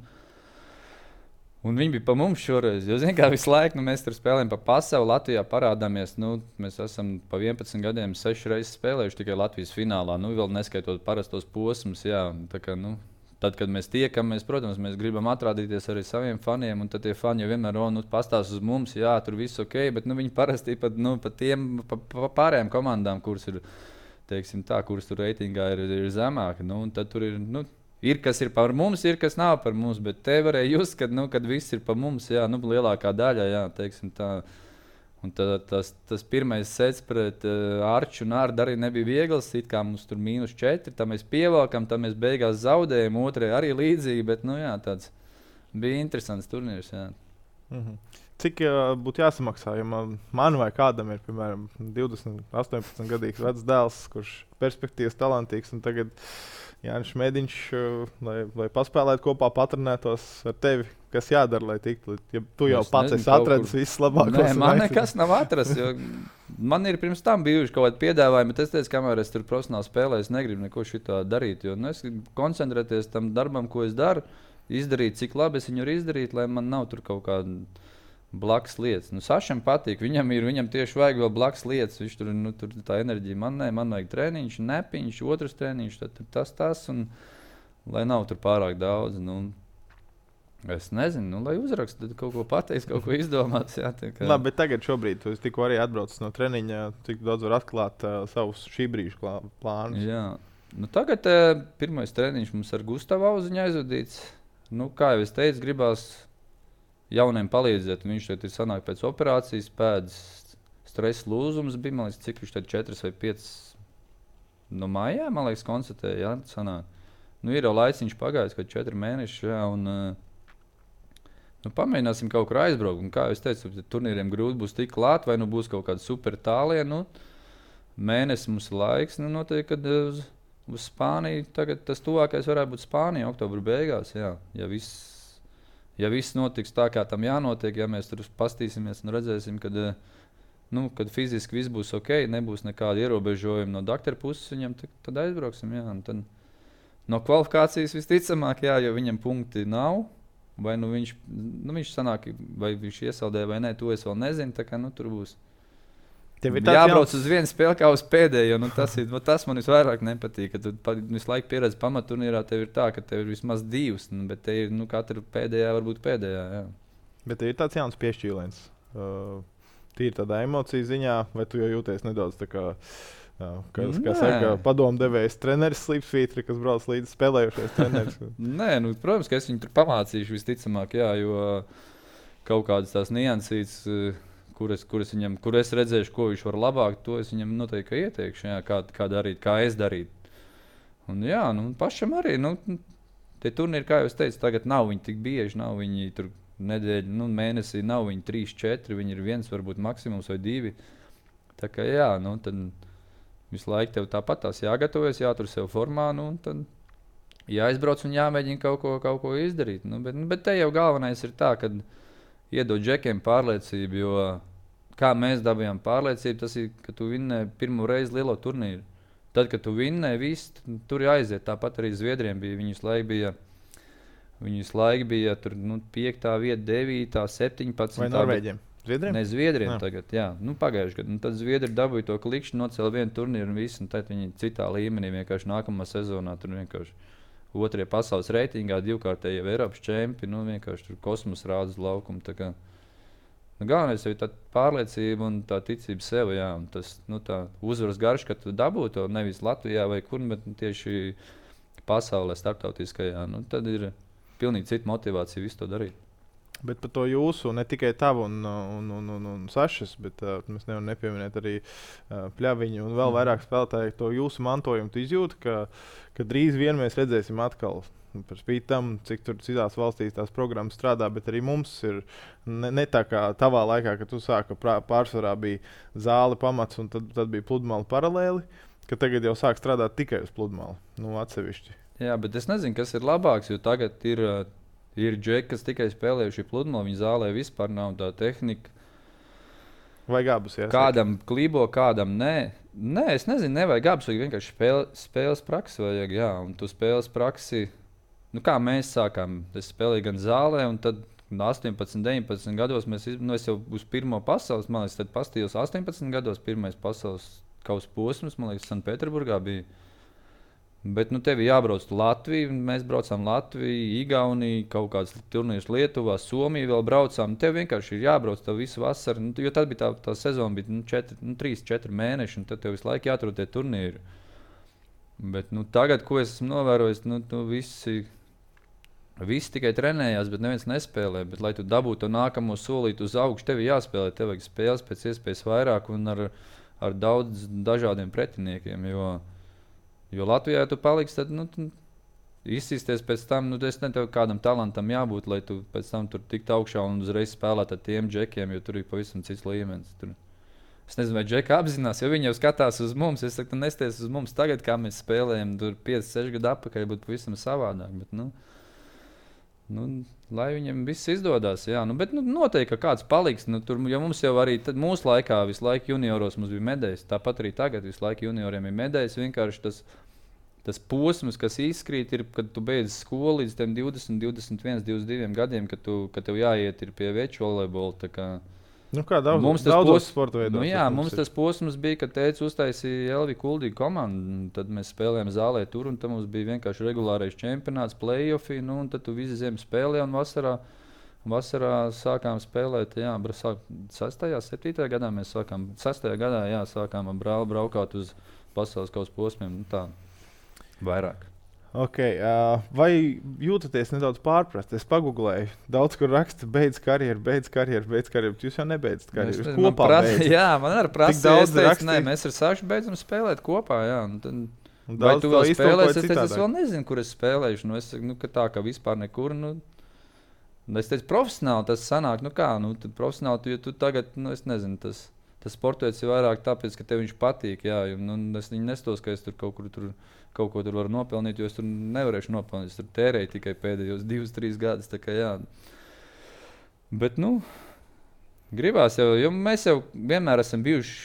Speaker 1: un viņi bija pa mums šoreiz. Jo, zin, kā visu laiku nu, mēs tur spēlējam pa pasauli, Latvijā parādāmies. Nu, mēs esam pa vienpadsmit gadiem seši reizes spēlējuši tikai Latvijas finālā. Nu, vēl neskaitot parastos posmus. Jā, tā kā, nu, tad, kad mēs tiekamies, protams, mēs gribam atrādīties arī saviem faniem, un tad tie fani jau vienmēr oh, nu, pastāsta uz mums, jā, tur viss ok, bet nu, viņi parasti pat nu, pa tiem pa, pa pārējām komandām, kuras ir, teiksim tā, kuras tur reitingā ir, ir zemāka, nu, un tad tur ir, nu, ir, kas ir par mums, ir, kas nav par mums, bet te varēja just, kad, nu, kad viss ir par mums, jā, nu, lielākā daļa, jā, teiksim tā. Un tā, tas, tas pirmais sets pret uh, Arču un Ārdu arī nebija viegls. It kā mums tur mīnus četri, tā mēs pievelkam, tā mēs beigās zaudējam. Otrai arī līdzīgi, bet nu, jā, tāds bija interesants turnīrs. Jā.
Speaker 2: Mm-hmm. Cik uh, būtu jāsamaksā, ja man, man vai kādam ir, piemēram, divdesmit, astoņpadsmit gadīgs vecs dēls, kurš perspektīvas talantīgs, un tagad Jānis Mēdiņš, uh, lai, lai paspēlētu kopā, patrenētos ar tevi. Kas jādara, lai tiktu? Ja tu jau es pats nezinu, esi atradis kur... viss labākos.
Speaker 1: Nē, man nekas nav atrasts. Man ir pirms tam bijuši kaut kādi piedāvājumi, bet es teicu, kamēr es tur profesionāli spēlēju, es negribu neko šitā darīt. Jo, nu, es gribu koncentrēties tam darbam, ko es daru, izdarīt, cik labi es viņu varu izdarīt, lai man nav tur kaut kāda blakus lietas. Nu, Sašam patīk, viņam ir, viņam tieši vajag vēl blakus lietas. Viņš tur, nu, tur tā enerģija man nē, man vajag treniņš, nepiņš, otrs treniņš, tad tas, tas, un lai nav tur pārāk daudz. Nu, Es nezinu, nu, lai uzrakstu, tad kaut ko pateiks, kaut ko izdomāts. Jā, kā...
Speaker 2: Labi, bet tagad šobrīd tu tikko arī atbraucis no treniņa, cik daudz var atklāt uh, savus šī brīža plānus.
Speaker 1: Jā, nu, tagad uh, pirmais treniņš mums ar Gustavu Auziņu aizvadīts. Nu, kā jau es teicu, gribās jauniem palīdzēt. Viņš šeit ir sanāk pēc operācijas, pēdas stresa lūzums bija, man liekas, cik viņš tad četras vai piecas no mājā, man liekas, konstatēja, jā, sanāk. Nu, ir jau laiciņš pagājis, kad četri mēneši, jā, un... Uh, Nu, pamēģināsim kaut kur aizbraukt. Un, kā jau teicu, turnīriem grūti būs tik klāt, vai nu būs kaut kāda super tālie. Nu, mēnesis mums ir laiks. Nu, noteikti, kad uz, uz Spāniju tagad tas tuvākais varētu būt Spānija, oktobra beigās. Jā. Ja viss ja viss notiks tā, kā tam jānotiek, ja mēs tur pastīsimies un redzēsim, kad, nu, kad fiziski viss būs ok, nebūs nekāda ierobežojuma no doktora puses, viņam tad, tad aizbrauksim. Jā. Un tad no kvalifikācijas visticamāk, jā, jo viņam punkti nav. Vai nu viņš, nu viņš sanāk, vai viņš iesaldē vai nē, to es vēl nezinu. Tā kā, nu, tur būs jābrauc jauns... uz vienu spēli kā uz pēdējo. Nu, tas, ir, nu, tas man visvairāk nepatīk. Kad tu pa, visu laiku pieredzi pamatturnīrā, tev ir tā, ka tev ir vismaz divas. Nu, bet te ir nu, katra pēdējā, varbūt pēdējā. Jā.
Speaker 2: Bet tev ir tāds jauns piešķīliens. Uh, tīri tādā emociju ziņā, vai tu jau jūties nedaudz tā kā... Jā, kas, kā saka, padomdevējs treneris Slipsvītri, kas brauc līdzi spēlējušies treneris.
Speaker 1: Nē, nu, protams, ka es viņu tur pamācīšu visticamāk, jā, jo kaut kādas tās niansītas, kur es, kur es viņam, kur es redzēšu, ko viņš var labāk, to es viņam noteikti ieteikšu, jā, kā, kā darīt, kā es darītu. Un jā, nu, pašam arī, nu, tie turnīri, kā jau es teicu, tagad nav viņi tik bieži, nav viņi tur nedēļu, nu, mēnesī, nav viņi trīs, četri, viņi ir viens, varbūt maksimums vai divi. Tā kā jā, nu, tad... Visu laiku tev tāpat tās jāgatavojas, jātur sev formā, nu, un tad jāizbrauc un jāmēģina kaut ko, kaut ko izdarīt. Nu, bet, nu, bet te jau galvenais ir tā, ka iedod džekiem pārliecību, jo kā mēs dabījām pārliecību, tas ir, ka tu vinnēji pirmo reizi lielo turnīru. Tad, kad tu vinnēji visu, tur jāaiziet. Tāpat arī Zviedriem bija, viņus laik bija, viņus laik bija tur, nu, piektā vieta, devītā, septiņpadsmitā.
Speaker 2: Vai Norvēģiem? Zviedriem?
Speaker 1: Ne, Zviedriem jā. Tagad, jā. Nu, pagājuši gadu. Tad Zviedri dabūja to klikšķi, nocēla vienu turnīru un visu, un tad viņi citā līmenī vienkārši nākamā sezonā tur vienkārši otrie pasaules reitingā, divkārtēji jau Eiropas čempi, nu vienkārši tur kosmos rāda uz laukumu. Tā kā, nu, galvenais ir tā pārliecība un tā ticība sev, jā. Un tas, nu, tā uzvaras garš, ka tu dabū to nevis Latvijā vai kur, bet tieši pasaulē, starptautiskajā, nu, tad ir pilnīgi cita motivācija visu to darīt.
Speaker 2: Bet par to jūsu, ne tikai tavu un, un, un, un, un Sašas, bet uh, mēs nevaram nepieminēt arī uh, Pļaviņu un vēl mm. vairāk spēlētāju to jūsu mantojumu. Tu izjūti, ka, ka drīz vien mēs redzēsim atkal par spīti tam, cik tur citās valstīs tās programmas strādā, bet arī mums ir ne, ne tā kā tavā laikā, kad tu sāka pārsvarā bija zāle pamats un tad, tad bija pludmale paralēli, ka tagad jau sāk strādāt tikai uz pludmali, nu atsevišķi.
Speaker 1: Jā, bet es nezinu, kas ir labāks, jo tagad ir... Ir džeki, kas tikai spēlējuši pludmali, viņa zālē vispār nav tā tehnika.
Speaker 2: Vai gabus, jā?
Speaker 1: Kādam klibo, kādam nē. Nē, es nezinu, nevajag gabus, vajag vienkārši spēle, spēles praksi vajag, jā. Un tu spēles praksi, nu kā mēs sākām, es spēlēju gan zālē, un tad astoņpadsmit, deviņpadsmit gados mēs, nu es jau uz pirmo pasaules, man liekas, tad pastījos astoņpadsmit gados, pirmais pasaules kausa posms, man liekas, Sanktpēterburgā bija. Bet nu, tev ir jābrauc uz Latviju. Mēs braucām Latviju, Igauniju, kaut kādas turnīras Lietuvā, Somiju vēl braucām. Tev vienkārši ir jābrauc tev visu vasaru. Nu, jo tad bija tā, tā sezona, bija nu, četri, nu, trīs, četri mēneši, un tad tev visu laiku jāatrod tie turnīri. Bet nu, tagad, ko es esmu novērojis, nu, nu, visi, visi tikai trenējās, bet neviens nespēlē. Bet, lai tu dabūtu to nākamo solīti uz augšu, tev ir jāspēlē. Tev vajag spēles pēc iespējas vairāk un ar, ar daudz dažādiem pretiniekiem. Jo, Jo Latvijā, ja tu paliksi, tad nu, izsīsties pēc tam, nu, es netevu kādam talantam jābūt, lai tu pēc tam tur tiktu augšā un uzreiz spēlēt ar tiem džekiem, jo tur ir pavisam cits līmenis. Tur. Es nezinu, vai džeki apzinās, jo viņi jau skatās uz mums. Es saku, tu nesties uz mums tagad, kā mēs spēlējam, tur pieci, seši gadu atpakaļ būtu pavisam savādāk. Bet, nu, nu, lai viņiem viss izdodas, jā. Nu, bet nu, noteikti, ka kāds paliks. Nu, tur, jo mums jau arī tad, mūsu laikā visu laiku junioros mums bija medaļas. Tāpat arī tagad visu laiku junioriem ir medaļas. Vienkārši tas Tas posms, kas izkrīt, ir, kad tu beidz skolu līdz divdesmit, divdesmit viens, divdesmit divi gadiem, kad, tu, kad tev jāiet pie veču volejbola. Kā,
Speaker 2: nu kā daudz,
Speaker 1: mums
Speaker 2: daudz
Speaker 1: pos...
Speaker 2: sporta veidos.
Speaker 1: Nu jā, mums tas posms bija, kad teica uztaisīja Elvi Kuldīgu komandu. Tad mēs spēlējām zālē tur, un tad mums bija vienkārši regulārais čempionāts, play-offi, nu, un tad tu visu ziemu spēlēji, un vasarā, vasarā sākām spēlēt, jā, sastajā, septītajā gadā mēs sākām, sastajā gadā, jā, sākām ar brāli braukāt uz pasaules kausa posmiem, nu tā. Vairāk.
Speaker 2: Okay, uh, vai jūtaties nedaudz pārprast? Es pagūglēju, daudz kur raksta, beidz karjeru, beidz karjeru, beidz karjeru. Jūs jau nebeidzat karjeru. Jūs kopā beidzat.
Speaker 1: Jā, man arī prasa, es teicu, nē, mēs ar Sašu beidzam spēlēt kopā. Jā, un tad, un vai tu vēl spēlēsi? Es teicu, es vēl nezinu, kur es spēlēšu. Nu, es saku, nu, ka tā, ka vispār nekur. Nu, es teicu, profesionāli tas sanāk. Nu kā, nu, tad profesionāli, jo tu tagad, nu, es nezinu, tas, tas sportojas ir vairāk tāpēc, ka tev viņš patīk. Jā, jo, nu, es viņu nestos, ka es tur kaut kur tur. Kaut ko tur var nopelnīt, jo es tur nevarēšu nopelnīt. Es tur tērēju tikai pēdējos divus, trīs gadus. Kā, jā. Bet, nu, gribās jau, jo mēs jau vienmēr esam bijuši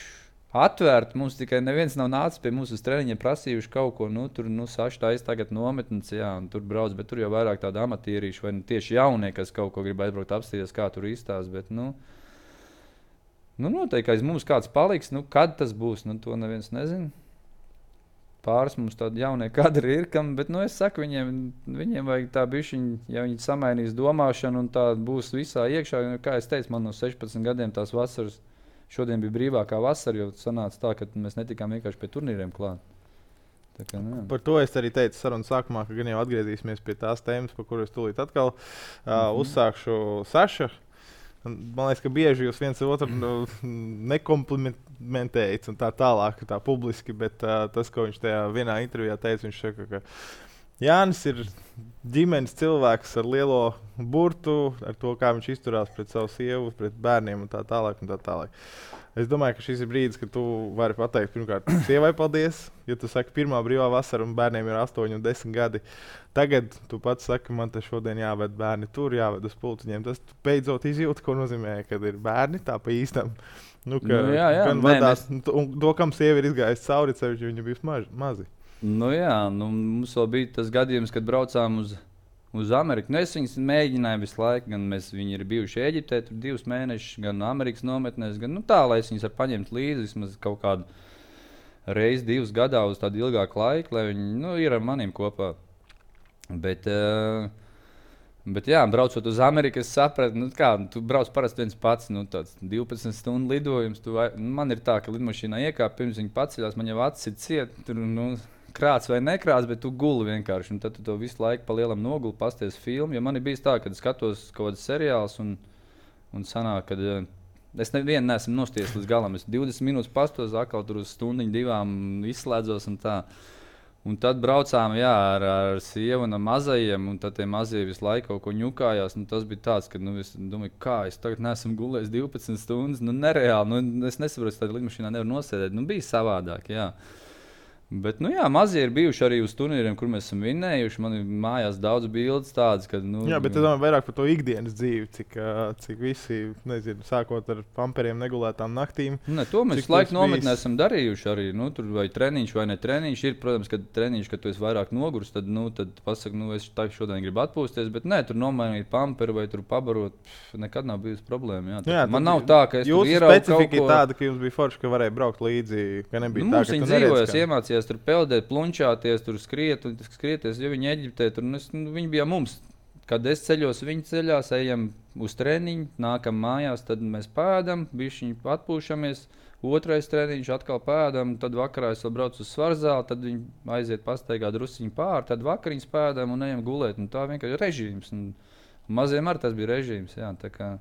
Speaker 1: atvērti. Mums tikai neviens nav nācis pie mums uz treniņiem prasījuši kaut ko. Nu, tur, nu, Saša taisa tagad nometnes, jā, un tur brauc, bet tur jau vairāk tādi amatierīši vai nu, tieši jaunie, kas kaut ko grib aizbraukt apstīties, kā tur izstās. Bet, nu, nu, noteikti aiz mums kāds paliks. Nu, kad tas būs, nu, to neviens nezina. Pāris mums tādi jaunie kadri ir, kam, bet nu, es saku, viņiem, viņiem vajag tā bišķiņ, ja viņi samainīs domāšanu un tā būs visā iekšā. Jo, kā es teicu, man no sešpadsmit gadiem tās vasaras, šodien bija brīvākā vasara, jo sanāca tā, ka mēs netikām vienkārši pie turnīriem klāt. Tā kā, nu,
Speaker 2: par to es arī teicu sarunas sākumā, ka gan jau atgriezīsimies pie tās tēmas, par kuru es tūlīt atkal uh, mm-hmm. uzsākšu Saša. Man liekas, ka bieži jūs viens otru nu, nekomplimentējat un tā tālāk, tā publiski, bet uh, tas, ko viņš tajā vienā intervijā teica, viņš saka, ka Jānis ir ģimenes cilvēks ar lielo burtu, ar to, kā viņš izturās pret savu sievu, pret bērniem un tā tālāk. Un tā tālāk. Es domāju, ka šis ir brīdis, kad tu vari pateikt, pirmkārt, sievai paldies, ja tu saki, pirmā brīvā vasara un bērniem ir astoņi un desmit gadi. Tagad tu pats saki, man te šodien jāved bērni tur, jāved uz pulciņiem. Tas beidzot izjūta, ko nozīmē, kad ir bērni tā pa īstam. Nu, ka,
Speaker 1: nu, jā, jā,
Speaker 2: gan
Speaker 1: nē,
Speaker 2: vadās,
Speaker 1: mēs...
Speaker 2: un to, kam sievi ir izgājis cauri, cevišķi viņi bija maži, mazi.
Speaker 1: Nu jā, nu, mums vēl bija tas gadījums, kad braucām uz, uz Ameriku. Nu, es viņus mēģināju visu laiku, gan mēs, viņi ir bijuši Eģiptē tur divus mēnešus, gan Amerikas nometnēs, gan nu, tā, lai es viņus var paņemt līdzi vismaz kaut kādu reizi, divus gadā uz tādu ilgāku laiku, lai viņi nu, ir ar maniem kopā. Bet, uh, bet jā, braucot uz Ameriku, es sapratu, nu, kā, tu brauc parasti viens pats, nu, tāds divpadsmit stundu lidojums. Tu, vai, man ir tā, ka lidmašīnā iekāp, pirms viņi paceļās, man jau acis ir ciet, tur, nu, krāts vai nekrāts, bet tu guli vienkārši. Un tad tu to visu laiku pa lielam noguli, pasties filmu. Jo man ir bijis tā, kad skatos kaut kādas seriāls un, un sanāk, kad uh, es nevienu neesmu nostiesis līdz galam. Es divdesmit minūtes pastos, atkal tur uz stundiņu divām izslēdzos un tā. Un tad braucām jā, ar, ar sievu un mazajiem, un tad tie mazie visu laiku kaut ko ņukājās. Nu, tas bija tāds, ka nu, es domāju, kā es tagad neesmu gulējis divpadsmit stundas. Nu, nereāli, nu, es nesaprotu, ka tādā lidmašīnā nevar nosēdēt. Nu, bija savādāk, jā. Bet, nu jā, mazie ir bijuši arī uz turnīriem, kur mēs esam vinnējuši. Man ir mājās daudz bildes tādas, ka, nu...
Speaker 2: Jā, bet es domāju vairāk par to ikdienas dzīvi, cik, cik visi, nezinu, sākot ar pamperiem negulētām naktīm.
Speaker 1: Ne, to mēs laiku nometnē esam darījuši arī, nu, tur vai treniņš vai ne treniņš. Ir, protams, kad treniņš, kad tu esi vairāk nogurs, tad, nu, tad pasaka, nu, es tā šodien gribu atpūsties, bet nē, tur nomainīt pamperu vai tur pabarot, pff, nekad nav bijusi problēma, jā. jā man nav tā, ka es tur ieraugu kaut ko.
Speaker 2: Jūsu specifika ir tāda, ka jums bija forši, ka varēja braukt līdzi, ka nebija
Speaker 1: nu,
Speaker 2: tā, ka tu neredz, ka...
Speaker 1: mācījās tur peldēt, plunčāties, tur skriet, un skrieties, jo viņi Eģiptē, tur, nu, viņi bija mums. Kad es ceļos, viņi ceļās, ejam uz treniņu, nākam mājās, tad mēs pēdam, bišķiņi atpūšamies, otrais treniņš, atkal pēdam, tad vakarā es vēl braucu uz svarzāli, tad viņi aiziet pastaigā drusiņu pāri, tad vakariņas pēdam un ejam gulēt, un tā vienkārši režīms. Un, un maziem arī tas bija režīms, jā, tā kā.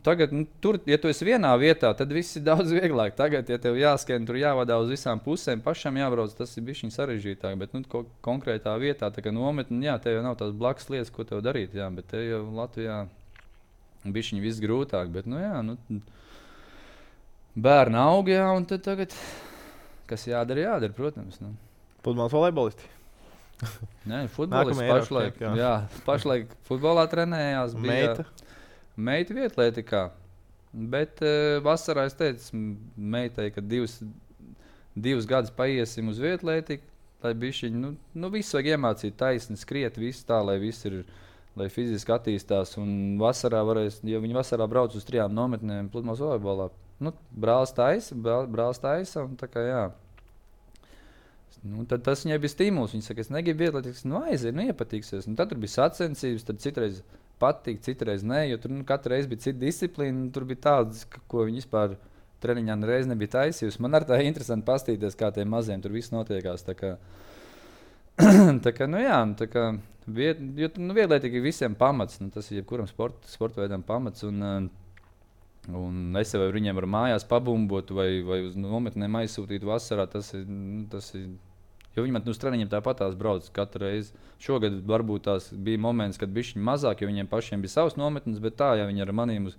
Speaker 1: Tagad, nu, tur, ja tu esi vienā vietā, tad viss ir daudz vieglāk. Tagad, ja tev jāskrien, tur jāvadā uz visām pusēm, pašam jābrauc, tas ir bišķiņ sarežģītāk. Bet nu, ko, konkrētā vietā, tā kā nometni, jā, tev jau nav tās blakus lietas, ko tev darīt. Jā, bet tev jau Latvijā bišķiņ viss grūtāk. Bet, nu, jā, nu, bērni aug, jā, un tad tagad, kas jādara, jādara, protams. Nu.
Speaker 2: Pludmales volejbolisti?
Speaker 1: Nē, futbolists pašlaik, jā. jā, pašlaik futbolā trenējās. Bija, Meita? Meita vietlētikā, bet uh, vasarā es teicu meitai, ka divus, divus gadus paiesim uz vietlētiku, lai bišķiņ, nu, nu visu vajag iemācīt taisni, skriet, visu tā, lai viss ir, lai fiziski attīstās, un vasarā varēs, ja viņi vasarā brauc uz trijām nometnēm pludmales volejbolā, nu, brālis taisa, brālis taisa, un tā kā jā. Nu, tad tas viņai bija stimuls, viņa saka, es negribu vietlētikas, nu aiziet, nu iepatīksies, un tad tur bija sacensības, tad citreiz patīk, citreiz nē, jo tur nu, katru reizi bija cita disciplīna. Tur bija tādas, ko viņi vispār treniņā nereiz nebija taisījusi. Man arī tā ir interesanti pastīties, kā tiem maziem tur viss notiekās. Tā kā, tā kā, nu jā, tā kā, viet, jo nu, vietlētīgi ir visiem pamats. Nu, tas ir jebkuram sport, sporta veidam pamats. Un, un es vai viņiem varu mājās pabumbot vai, vai uz nometnēm aizsūtīt vasarā. Tas ir, nu, tas ir Jo viņi man uz treniņiem tāpat tās brauc katru reizi. Šogad varbūt tās bija moments, kad bišķiņi mazāk, jo viņiem pašiem bija savs nometnes, bet tā, ja viņi ar maniem uz,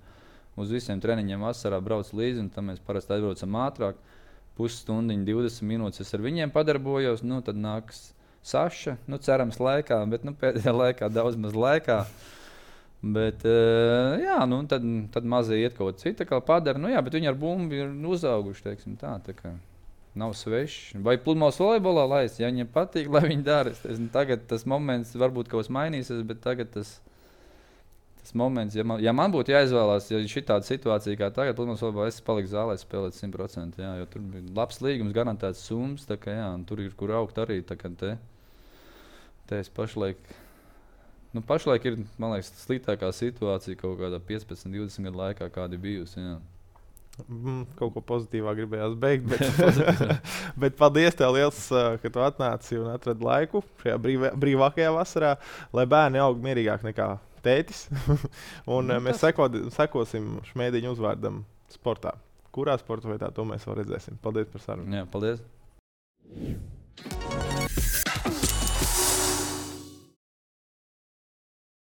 Speaker 1: uz visiem treniņiem vasarā brauc līdzi, un tad mēs parasti aizbraucam ātrāk, pusstundiņu, divdesmit minūtes es ar viņiem padarbojos, nu tad nāks Saša, nu cerams laikā, bet nu pēdējā laikā daudz maz laikā. Bet, uh, jā, nu tad, tad mazie iet kaut cita, kā padara, nu jā, bet viņi ar bumbu ir uzauguši, teiksim tā, tā kā. Nav sveši. Vai pludmales volejbolā laist, ja viņiem patīk, lai viņi dara. Es, tagad tas moments varbūt kaut kas mainīsies, bet tagad tas, tas moments, ja man, ja man būtu jāizvēlās, ja šī tāda situācija kā tagad, pludmales volejbolā es paliku zālē spēlēt simt procenti, jā, jo tur bija labs līgums, garantēts summas, tā kā jā, un tur ir kur augt arī, tā kā te, te es pašlaik, nu pašlaik ir, man liekas, sliktākā situācija kaut kādā piecpadsmit, divdesmit gadu laikā, kāda bijusi, jā.
Speaker 2: Mm, kaut ko pozitīvā gribējās beigt, bet, bet paldies tev liels, ka tu atnāci un atradi laiku šajā brīvā, brīvākajā vasarā, lai bērni aug mierīgāk nekā tētis. un nu, mēs sekod, sekosim Šmēdiņa uzvārdam sportā. Kurā sporta veidā to mēs vēl redzēsim. Paldies par sarunu.
Speaker 1: Jā, paldies.